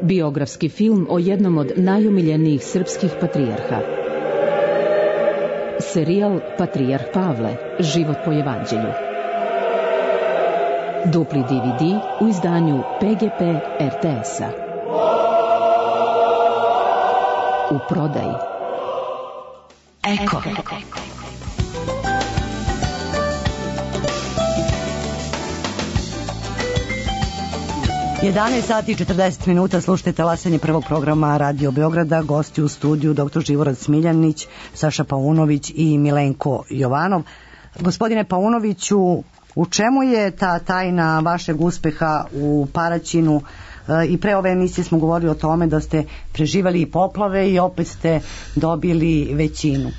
Biografski film o jednom od najomiljenijih srpskih patrijarha. Serijal Patrijarh Pavle, život po evanđelju. Dupli DVD u izdanju PGP RTS-a. U prodaji. Eko. 11 sati i 40 minuta, slušajte talasanje prvog programa Radio Beograda, gosti u studiju dr. Živorad Smiljanić, Saša Paunović i Milenko Jovanov. Gospodine Paunoviću, u čemu je ta tajna vašeg uspeha u Paraćinu? I pre ove emisije smo govorili o tome da ste preživali i poplave i opet ste dobili većinu.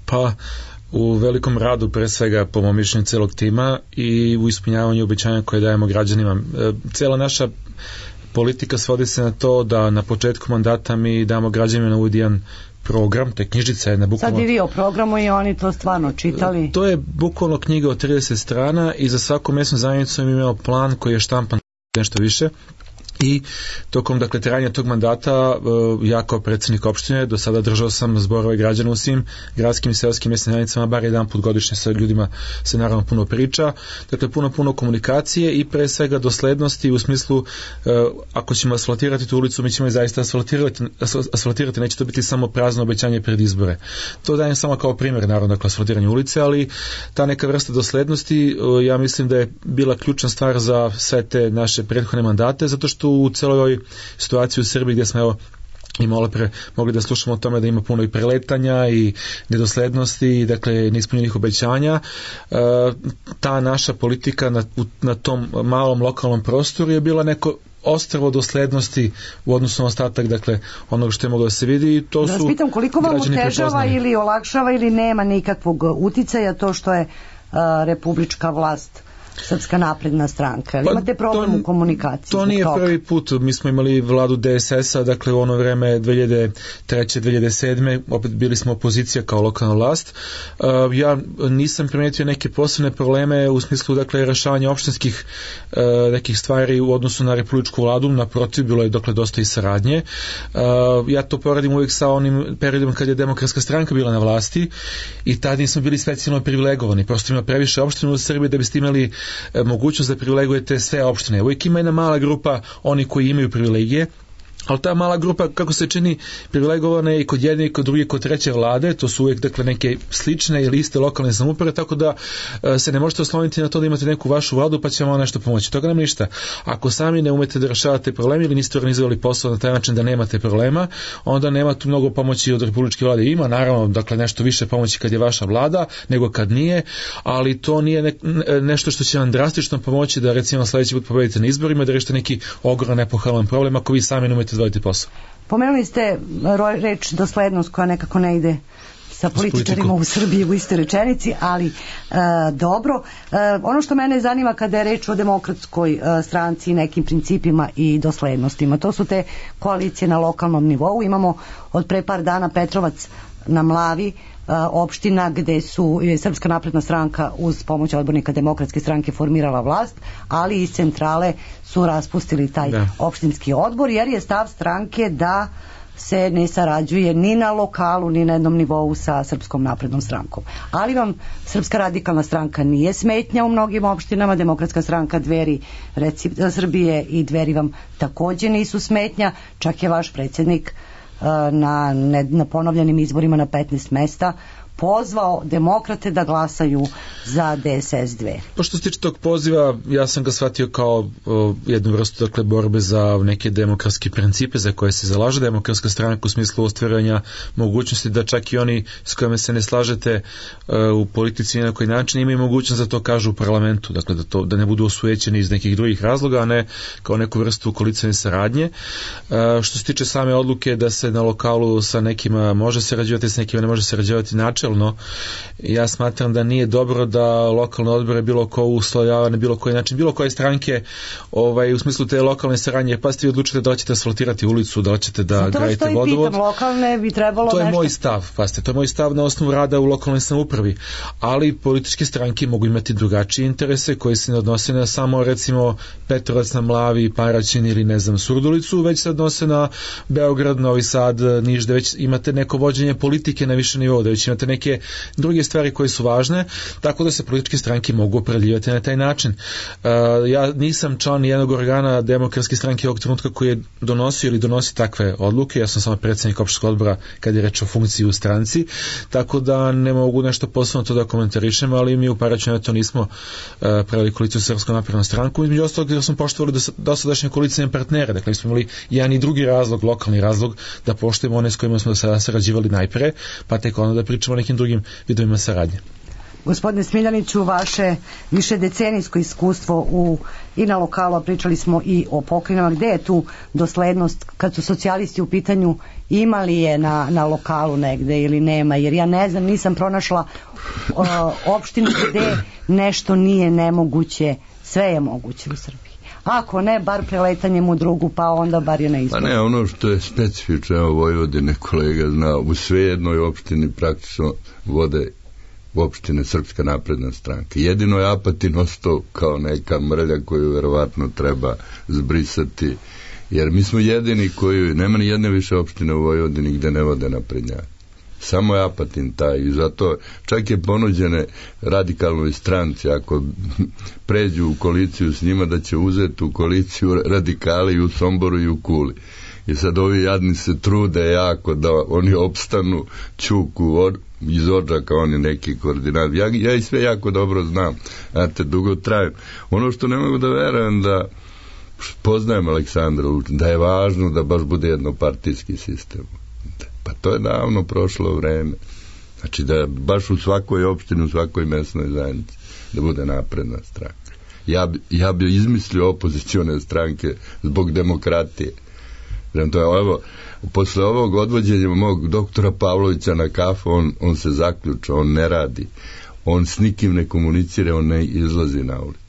Pa u velikom radu, pre svega po mom mišljenju celog tima, i u ispunjavanju obećanja koje dajemo građanima. Cijela naša politika svodi se na to da na početku mandata mi damo građanima na uvid jedan program, to je knjižica jedna bukvalno. Sad i vi o programu i oni to stvarno čitali. To je bukvalno knjiga od 30 strana i za svaku mesnu zajednicu im imao plan koji je štampan nešto više. I tokom trajanja tog mandata ja kao predsjednik opštine do sada držao sam zborove građana u svim gradskim i seoskim mesnim zajednicama, bar jedan put godišnje sa ljudima se naravno puno priča, dakle puno komunikacije i pre svega doslednosti u smislu ako ćemo asfaltirati tu ulicu, mi ćemo je zaista asfaltirati, neće to biti samo prazno obećanje pred izbore. To dajem samo kao primjer, naravno, asfaltiranje ulice, ali ta neka vrsta doslednosti ja mislim da je bila ključna stvar za sve te naše prethodne mandate, zato što u celoj ovoj situaciji u Srbiji gdje smo i malo pre mogli da slušamo o tome da ima puno i preletanja i nedoslednosti, dakle neispunjenih obećanja, ta naša politika na tom malom lokalnom prostoru je bila neko ostrvo doslednosti u odnosu na ostatak, dakle onog što je moglo da se vidi i to su građani prepoznali. Koliko vam otežava ili olakšava ili nema nikakvog uticaja to što je republička vlast Srpska napredna stranka? Pa, imate problem u komunikaciji? To nije prvi put. Mi smo imali vladu DSS-a, dakle u ono vreme 2003. 2007. opet bili smo opozicija kao lokalna vlast. Ja nisam primetio neke posebne probleme u smislu rešavanja opštinskih nekih stvari u odnosu na republičku vladu, naprotiv, bilo je dosta i saradnje. Ja to poredim uvijek sa onim periodom kad je Demokratska stranka bila na vlasti i tad nismo bili specijalno privilegovani. Prosto ima previše opština u Srbiji da biste imali mogućnost da privilegujete sve opštine. Uvijek ima jedna mala grupa oni koji imaju privilegije, ali ta mala grupa, kako se čini, privilegovana je i kod jedne i kod druge, kod treće vlade, to su uvijek neke slične ili iste lokalne samouprave, tako da se ne možete osloniti na to da imate neku vašu vladu pa će vam nešto pomoći. Toga nema ništa. Ako sami ne umete da rešavate probleme ili niste organizovali posao na taj način da nemate problema, onda nema tu mnogo pomoći od republičke vlade. Ima naravno nešto više pomoći kad je vaša vlada nego kad nije, ali to nije nešto što će vam drastično pomoći da recimo sledeći put pobedite na izborima, da rešite neki ogroman epohalan problem ako vi sami ne umete odvojiti posao. Pomenuli ste reč doslednost koja nekako ne ide sa političarima u Srbiji u istoj rečenici, ali dobro. Ono što mene zanima kada je reč o Demokratskoj stranci i nekim principima i doslednostima, to su te koalicije na lokalnom nivou. Imamo od pre par dana Petrovac na Mlavi, opština gde je Srpska napredna stranka uz pomoć odbornika Demokratske stranke formirala vlast, ali iz centrale su raspustili taj opštinski odbor, jer je stav stranke da se ne sarađuje ni na lokalu, ni na jednom nivou sa Srpskom naprednom strankom. Ali vam Srpska radikalna stranka nije smetnja u mnogim opštinama, Demokratska stranka, Dveri Srbije i Dveri vam takođe nisu smetnja, čak je vaš predsjednik na ponovljenim izborima na 15 mesta pozvao demokrate da glasaju za DSS 2. Pa što se tiče tog poziva, ja sam ga shvatio kao jednu vrstu borbe za neke demokratske principe za koje se zalaže Demokratska stranka u smislu ostvaranja mogućnosti da čak i oni s kojima se ne slažete u politici na koji način imaju mogućnost da to kažu u parlamentu, dakle da ne budu osujećeni iz nekih drugih razloga, a ne kao neku vrstu koalicijne saradnje. Što se tiče same odluke da se na lokalu sa nekima može sarađivati, s nekima ne može sarađivati, način načelno ja smatram da nije dobro da lokalne odbore bilo ko uslojava na bilo koji način, bilo koje stranke u smislu te lokalne saradnje, pa ste vi odlučite da ćete asfaltirati ulicu, da ćete da gradite vodovod. Lokalne bi trebalo to je nešto... moj stav, to je moj stav na osnovu rada u lokalnoj samoupravi, ali političke stranke mogu imati drugačije interese koji se ne odnose na samo recimo Petrovac na Mlavi, Paraćin ili ne znam Surdulicu, već se odnose na Beograd, Novi Sad, Niš, da već imate neko vođenje politike na više nivou, da već imate neke druge stvari koje su važne, tako da se političke stranke mogu opredeljivati na taj način. Ja nisam član jednog organa demokratske stranke ovog trenutka koji je donosio ili donosi takve odluke, ja sam samo predsjednik opštinskog odbora kad je reč o funkciji u stranci, tako da ne mogu nešto posebno to da komentarišem, ali mi u Paraćinu to nismo pravili koaliciju sa Srpskom naprednom strankom, između ostalog jer smo poštovali dosadašnje koalicijne partnere, dakle smo imali jedan i drugi razlog, lokalni razlog da poštujemo one s kojima smo sada sarađivali najpre, pa tek onda da pričamo o nekim drugim vidovima saradnje. Gospodine Smiljaniću, vaše višedecenijsko iskustvo i na lokalu, a pričali smo i o pokrajinama, gde je tu doslednost kad su socijalisti u pitanju, imali je na lokalu negde ili nema, jer ja ne znam, nisam pronašla opštinu gde nešto nije nemoguće, sve je moguće u Srbiji. Ako ne, bar preletanjem u drugu, pa onda bar je na izboru. Pa ne, ono što je specifično, evo Vojvodine kolega zna, u sve jednoj opštini praktično vode opštine Srpska napredna stranka. Jedino je Apatin ostao kao neka mrlja koju verovatno treba zbrisati, jer mi smo jedini koji, nema ni jedne više opštine u Vojvodini gde ne vode naprednjaki. Samo je Apatin taj i zato čak je ponuđene radikalnoj stranci ako pređu u koaliciju s njima da će uzeti u koaliciju radikali i u Somboru i u Kuli. I sad ovi jadni se trude jako da oni opstanu, Ćuku iz Odžaka, on je neki koordinat. Ja i sve jako dobro znam, znate, dugo trajem. Ono što ne mogu da verujem da poznajem Aleksandra Vučića, da je važno da baš bude jednopartijski sistem. Pa to je davno prošlo vreme. Znači da baš u svakoj opštini, u svakoj mesnoj zajednici da bude napredna stranka. Ja bi izmislio opozicione stranke zbog demokratije. To je, evo, posle ovog odvođenja mog doktora Pavlovića na kafu, on se zaključa, on ne radi, on s nikim ne komunicira, on ne izlazi na ulicu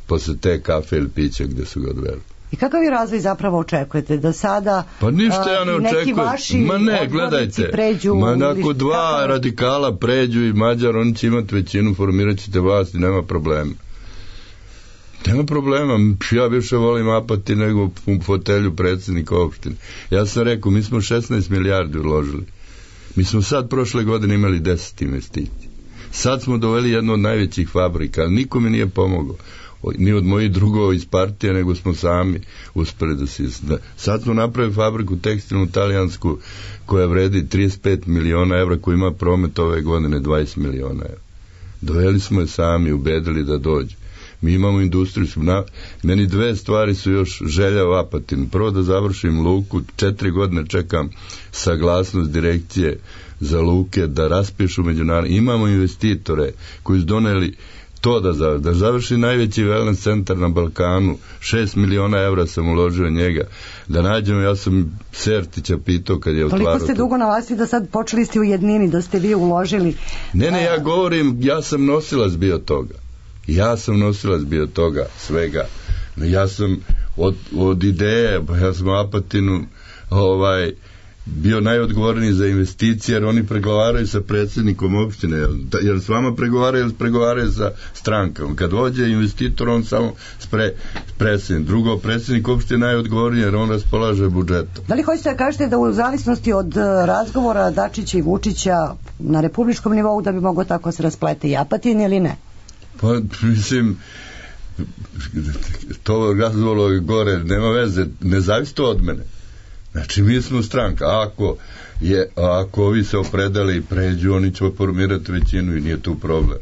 posle te kafe ili pića gde su ga odveli. I kakav je razvoj zapravo očekujete? Da sada pa ništa ja ne očekujem. Ma ne, gledajte, pređu, ako dva radikala pređu i Mađar, oni će imati većinu, formirat ćete vlast i nema problema. Nema problema, ja više volim Apatin nego u fotelju predsjednika opštine. Ja sam rekao, mi smo 16 milijardi uložili. Mi smo sad prošle godine imali 10 investicija. Sad smo doveli jednu od najvećih fabrika, ali niko mi nije pomogao. Ni od mojih drugova iz partije, nego smo sami uspeli da se... Sad smo napravili fabriku tekstilnu talijansku koja vredi 35 miliona evra, koja ima promet ove godine 20 miliona evra. Doveli smo je sami, ubedili da dođe. Mi imamo industrijsku... Meni dve stvari su još želja u Apatinu. Prvo da završim luku, 4 godine čekam saglasnost direkcije za luke, da raspišu međunarodne. Imamo investitore koji su doneli to da završi najveći wellness centar na Balkanu, 6 miliona evra sam uložio njega, da nađemo, ja sam Sertića pitao kad je otvarao. Toliko ste dugo na vlasti da sad počeli ste u jednini, da ste vi uložili. Ne, ja govorim, ja sam nosilac bio toga, svega. Ja sam od ideje, ja sam u Apatinu bio najodgovorniji za investicije, jer oni pregovaraju sa predsjednikom opštine, jer s vama pregovaraju sa strankom. Kad dođe investitor, on samo predsjednik. Drugo, predsjednik opštine najodgovorniji, jer on raspolaže budžetom. Da li hoćete da kažete da u zavisnosti od razgovora Dačića i Vučića na republičkom nivou da bi moglo tako se rasplete i Apatin ili ne? Pa, mislim, to razgovor gore, nema veze, ne zavisi to od mene. Znači, mi smo stranka. Ako ovi se opredali i pređu, oni će formirati većinu i nije tu problem.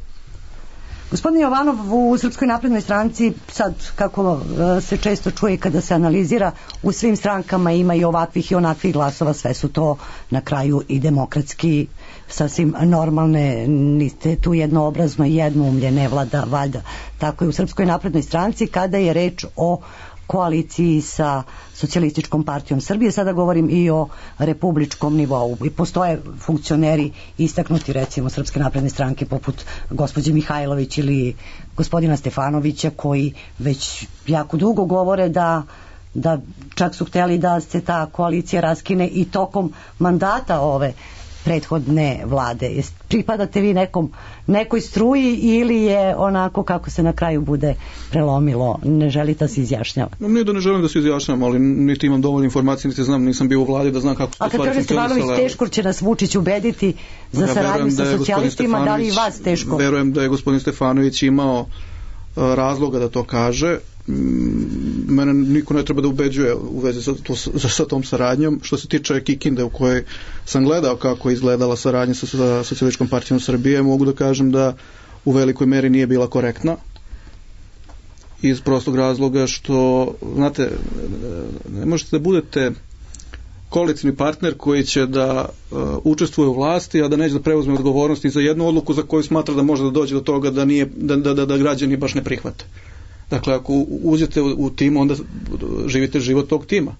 Gospodin Jovanov, u Srpskoj naprednoj stranci, sad kako se često čuje kada se analizira, u svim strankama ima i ovakvih i onakvih glasova, sve su to na kraju i demokratski, sasvim normalne, niste tu jednoobrazno, jednoumlje, ne vlada, valjda. Tako je u Srpskoj naprednoj stranci kada je reč o koaliciji sa Socijalističkom partijom Srbije, sada govorim i o republičkom nivou. I postoje funkcioneri istaknuti, recimo Srpske napredne stranke, poput gospođe Mihajlović ili gospodina Stefanovića, koji već jako dugo govore da čak su hteli da se ta koalicija raskine i tokom mandata ove prethodne vlade. Pripadate vi nekoj struji ili je onako kako se na kraju bude prelomilo, ne želite da se izjašnjava? Nije da ne želim da se izjašnjavam, ali niti imam dovoljno informacije, niti znam, nisam bio u vladi da znam kako su stvari funkcionisale. A kad kaže Stefanović teško će nas Vučić ubediti za saradnju sa socijalistima, da li i vas teško? Verujem da je gospodin Stefanović imao razloga da to kaže. Mene niko ne treba da ubeđuje u vezi sa tom saradnjom. Što se tiče Kikinde, u kojoj sam gledao kako je izgledala saradnja sa Socijalističkom partijom Srbije, mogu da kažem da u velikoj meri nije bila korektna, iz prostog razloga što, znate, ne možete da budete koalicioni partner koji će da učestvuje u vlasti, a da neće da preuzme odgovornosti za jednu odluku za koju smatra da može da dođe do toga da građani baš ne prihvate. Dakle, ako uđete u tim, onda živite život tog tima.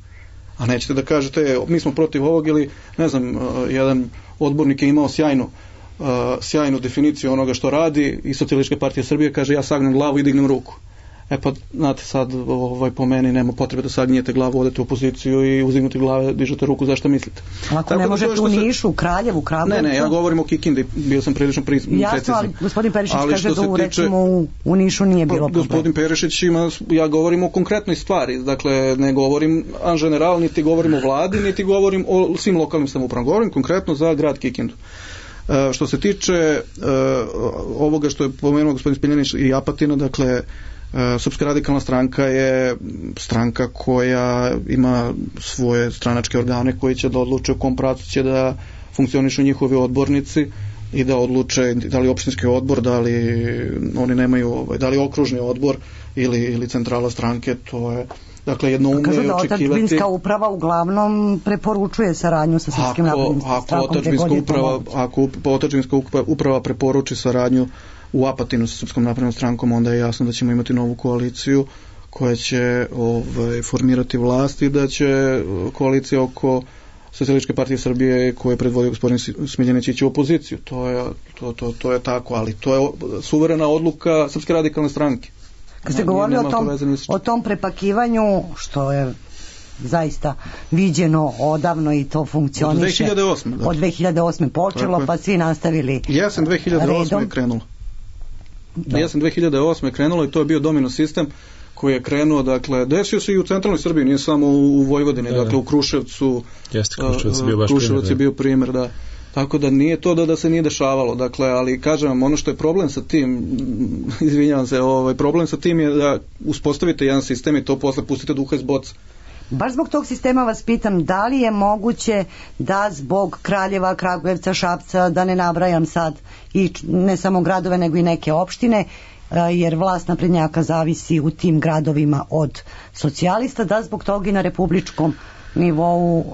A nećete da kažete, mi smo protiv ovog, ili, ne znam, jedan odbornik je imao sjajnu definiciju onoga što radi i Socijalistička partija Srbije kaže, ja sagnem glavu i dignem ruku. E pa, znate, sad po meni nema potrebe da sagnijete glavu, odete u opoziciju i uzimate glave, dižete ruku, zašto mislite? Ako ne možete u Nišu, Kraljevu, Kragujevcu? Ne, ja govorim o Kikindi, bio sam prilično precizni. Jasno, ali gospodin Perišić kaže da recimo u Nišu nije bilo problema. Gospodin Perišić ja govorim o konkretnoj stvari, dakle ne govorim en general, niti govorim o vladi, niti govorim o svim lokalnim samoupravama, govorim konkretno za grad Kikindu. Što se tiče ovoga što je pomenuo gospodin Smiljanić i Apatina, dakle Srpska radikalna stranka je stranka koja ima svoje stranačke organe koji će da odluče u kom pravcu će da funkcionišu njihovi odbornici i da odluče da li opštinski odbor, da li oni nemaju, da li okružni odbor ili centrala stranke, to je dakle jednoumno je očekivati. Kažu da otadžbinska uprava uglavnom preporučuje saradnju sa Srpskim naprednim strankom. Ako otadžbinska uprava preporuči saradnju u Apatinu sa Srpskom naprednom strankom, onda je jasno da ćemo imati novu koaliciju koja će formirati vlast i da će koalicija oko Socijalističke partije Srbije koje predvodio gospodin Smiljanić ići u opoziciju. To je tako, ali to je suverena odluka Srpske radikalne stranke. Kad ste govorili o tom prepakivanju, što je zaista viđeno odavno i to funkcioniše. Od 2008. počelo, pa svi nastavili. Jesen 2008. je krenulo. Jesen 2008. je krenulo i to je bio domino sistem koji je krenuo, dakle, desio se i u centralnoj Srbiji, nije samo u Vojvodini, dakle u Kruševcu. Kruševac je bio primjer, da. Tako da nije to da se nije dešavalo, dakle, ali kažem vam, ono što je problem sa tim, izvinjavam se, problem sa tim je da uspostavite jedan sistem i to posle pustite duha iz boca. Baš zbog tog sistema vas pitam, da li je moguće da zbog Kraljeva, Kragujevca, Šapca, da ne nabrajam sad, i ne samo gradove nego i neke opštine, jer vlast naprednjaka zavisi u tim gradovima od socijalista, da zbog toga i na republičkom nivou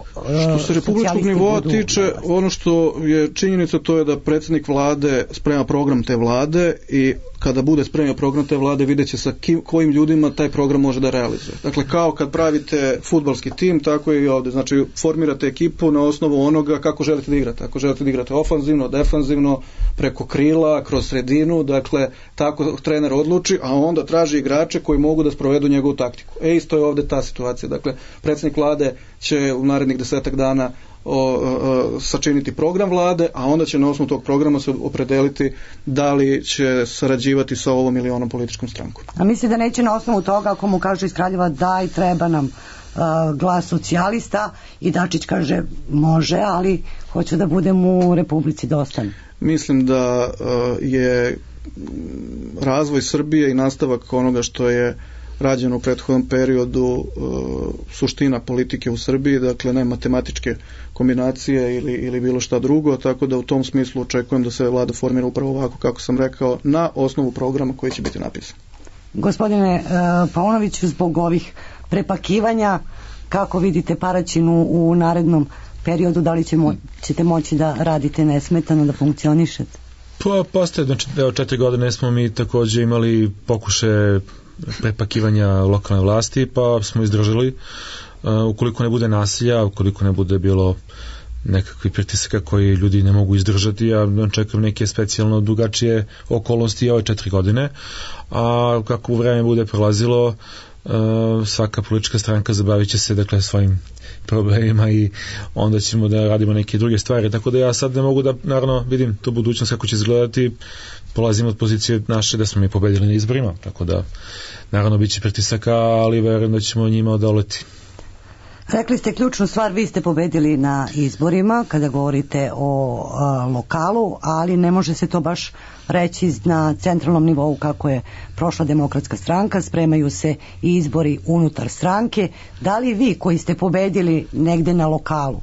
što se republičkog nivoa tiče, ono što je činjenica, to je da predsjednik vlade sprema program te vlade i kada bude spremio program te vlade vidjet će sa kojim ljudima taj program može da realizuje. Dakle, kao kad pravite fudbalski tim, tako je i ovdje. Znači, formirate ekipu na osnovu onoga kako želite da igrate. Ako želite da igrate ofanzivno, defanzivno, preko krila, kroz sredinu, dakle, tako trener odluči, a onda traži igrače koji mogu da sprovedu njegovu taktiku. Isto je ovdje ta situacija. Dakle, predsjednik vlade će u narednih 10 dana sačiniti program vlade, a onda će na osnovu tog programa se opredeliti da li će sarađivati sa ovom ili onom političkom strankom. A misli da neće na osnovu toga, ako mu kažu iz Kraljeva daj, treba nam glas socijalista, i Dačić kaže može, ali hoću da budem u Republici dosta. Mislim da je razvoj Srbije i nastavak onoga što je rađeno u prethodnom periodu suština politike u Srbiji, dakle ne matematičke kombinacije ili bilo šta drugo, tako da u tom smislu očekujem da se vlada formira upravo ovako kako sam rekao, na osnovu programa koji će biti napisan. Gospodine Paunoviću, zbog ovih prepakivanja, kako vidite Paraćinu u narednom periodu, da li ćete moći da radite nesmetano, da funkcionišete? Pa postoje, znači, 4 godine smo mi takođe imali pokušaje prepakivanja lokalne vlasti, pa smo izdržali. Ukoliko ne bude nasilja, ukoliko ne bude bilo nekakvih pritisaka koji ljudi ne mogu izdržati, ja čekam neke specijalno drugačije okolnosti ove 4 godine, a kako vreme bude prolazilo, svaka politička stranka zabavit će se dakle svojim problemima i onda ćemo da radimo neke druge stvari, tako da ja sad ne mogu da naravno vidim tu budućnost kako će izgledati. Polazim od pozicije naše da smo mi pobedili na izborima, tako da naravno bit će pritisaka, ali verujem da ćemo njima odoleti. Rekli ste ključnu stvar, vi ste pobedili na izborima kada govorite o lokalu, ali ne može se to baš reći na centralnom nivou kako je prošla Demokratska stranka, spremaju se i izbori unutar stranke. Da li vi koji ste pobedili negde na lokalu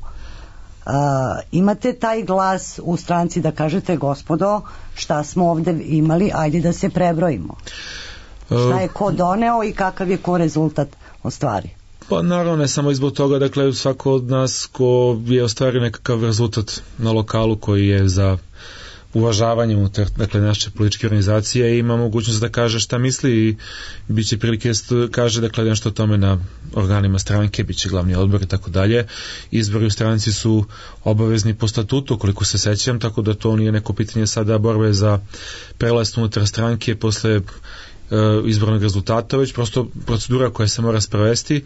imate taj glas u stranci da kažete gospodo šta smo ovde imali, ajde da se prebrojimo? Šta je ko doneo i kakav je ko rezultat ostvari? Pa naravno ne samo izbog toga, dakle svako od nas ko je ostvario nekakav rezultat na lokalu koji je za uvažavanje unutar dakle naše političke organizacije ima mogućnost da kaže šta misli i bit će prilike kaže dakle nešto o tome na organima stranke, bit će glavni odbor i tako dalje. Izbori u stranci su obavezni po statutu koliko se sećam, tako da to nije neko pitanje sada borbe za prelast unutar stranke posle izbornog rezultata, već prosto procedura koja se mora sprovesti.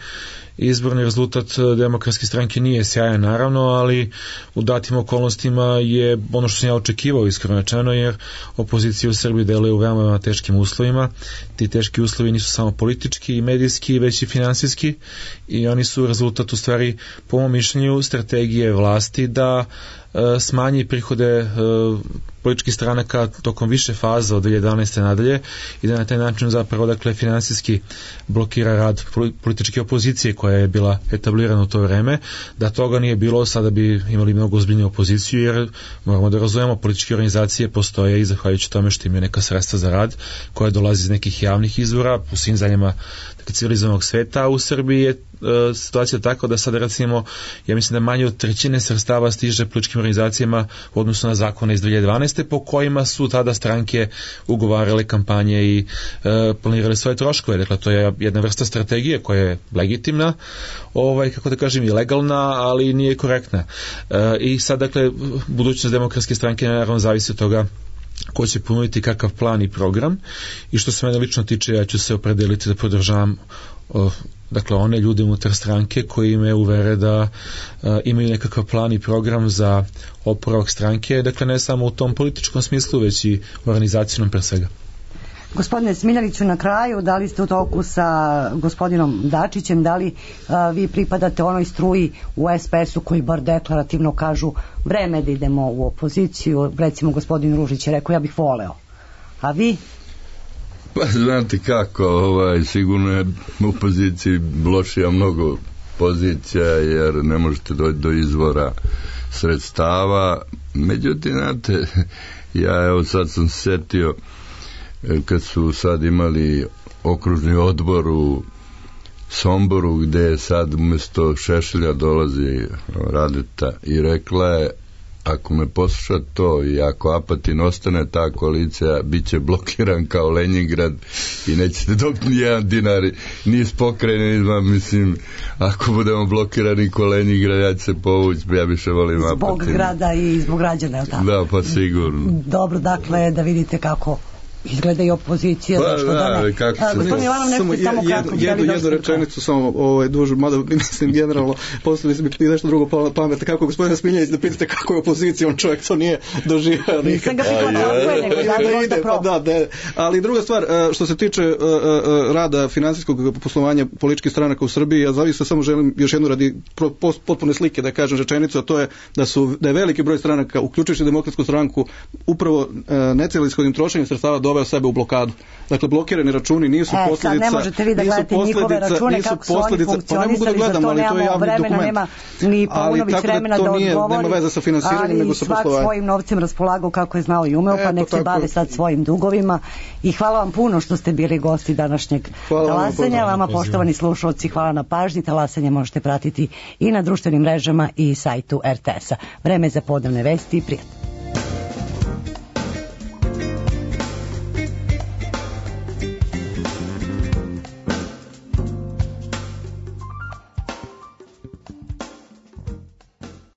Izborni rezultat Demokratske stranke nije sjajan naravno, ali u datim okolnostima je ono što sam ja očekivao iskreno rečeno, jer opozicija u Srbiji deluje u veoma teškim uslovima. Ti teški uslovi nisu samo politički i medijski, već i finansijski, i oni su rezultat u stvari po mom mišljenju strategije vlasti da smanji prihode političkih stranaka tokom više faza od 2011. nadalje i da na taj način zapravo dakle finansijski blokira rad političke opozicije koja je bila etablirana u to vreme. Da toga nije bilo, sada bi imali mnogo ozbiljniju opoziciju, jer moramo da razumemo, političke organizacije postoje i zahvaljujući tome što imaju neka sredstva za rad koja dolazi iz nekih javnih izvora u svim zemljama civilizovanog sveta. U Srbiji je situacija tako da sada recimo, ja mislim da manje od 1/3 sredstava stiže političkim organizacijama u odnosu na zakone iz 2012. po kojima su tada stranke ugovarale kampanje i planirale svoje troškove. Dakle, to je jedna vrsta strategije koja je legitimna, kako da kažem, i legalna, ali nije korektna. I sad, dakle, budućnost Demokratske stranke naravno zavisi od toga ko će ponuditi kakav plan i program, i što se mene lično tiče, ja ću se opredeliti da podržavam dakle one ljude unutar stranke koji me uvere da imaju nekakav plan i program za oporavak stranke, dakle ne samo u tom političkom smislu, već i organizacijnom pre svega. Gospodine Smiljaniću, na kraju, da li ste u toku sa gospodinom Dačićem, da li vi pripadate onoj struji u SPS-u koji bar deklarativno kažu vreme da idemo u opoziciju? Recimo gospodin Ružić je rekao ja bih voleo, a vi? Pa znate kako, sigurno je u opoziciji lošija mnogo pozicija, jer ne možete doći do izvora sredstava. Međutim, znate, ja evo sad sam se setio kad su sad imali okružni odbor u Somboru, gde sad umjesto Šešelja dolazi Radeta, i rekla je, ako me posluša to i ako Apatin ostane, ta koalicija bit će blokiran kao Leningrad i nećete dobiti ni jedan dinar ni iz pokrajine, mislim, ako budemo blokirani ko Leningrad, ja ću se povući, ja više volim Apatin. Zbog grada i zbog građana, je li tako? Da, pa sigurno. Dobro, dakle, da vidite kako izgleda i opozicija, zašto da ne? Gospodin Jovanov, nešto samo kratko. Jednu rečenicu, samo dužu, mada mislim generalno, postavili se mi nešto drugo pametno, kako gospodina Smiljanić da pitate kako je opozicija, on čovjek to nije doživao. Nisam ga pitala, ali druga stvar, što se tiče rada finansijskog poslovanja političkih stranaka u Srbiji, ja zavisno samo želim još jednu radi potpune slike da kažem rečenicu, a to je da je veliki broj stranaka, uključujući Demokratsku stranku, upravo necelishodnim trošenjem sredstava doveo sebe u blokadu. Dakle, blokirani računi nisu posljedica... Ne možete vi da gledate njihove račune, kako su oni funkcionisali, za to nemamo vremena, nema ni Paunović vremena da odgovori, nema veze sa finansiranjem, nego sa poslovanjem. Ali svak svojim novcem raspolagao kako je znao i umeo, pa nek se bave sad svojim dugovima. I hvala vam puno što ste bili gosti današnjeg talasanja. Vama, poštovani slušalci, hvala na pažnji. Talasanje možete pratiti i na društvenim mrežama i sajtu RTS-a. Vreme za podnevne vesti i prijatno.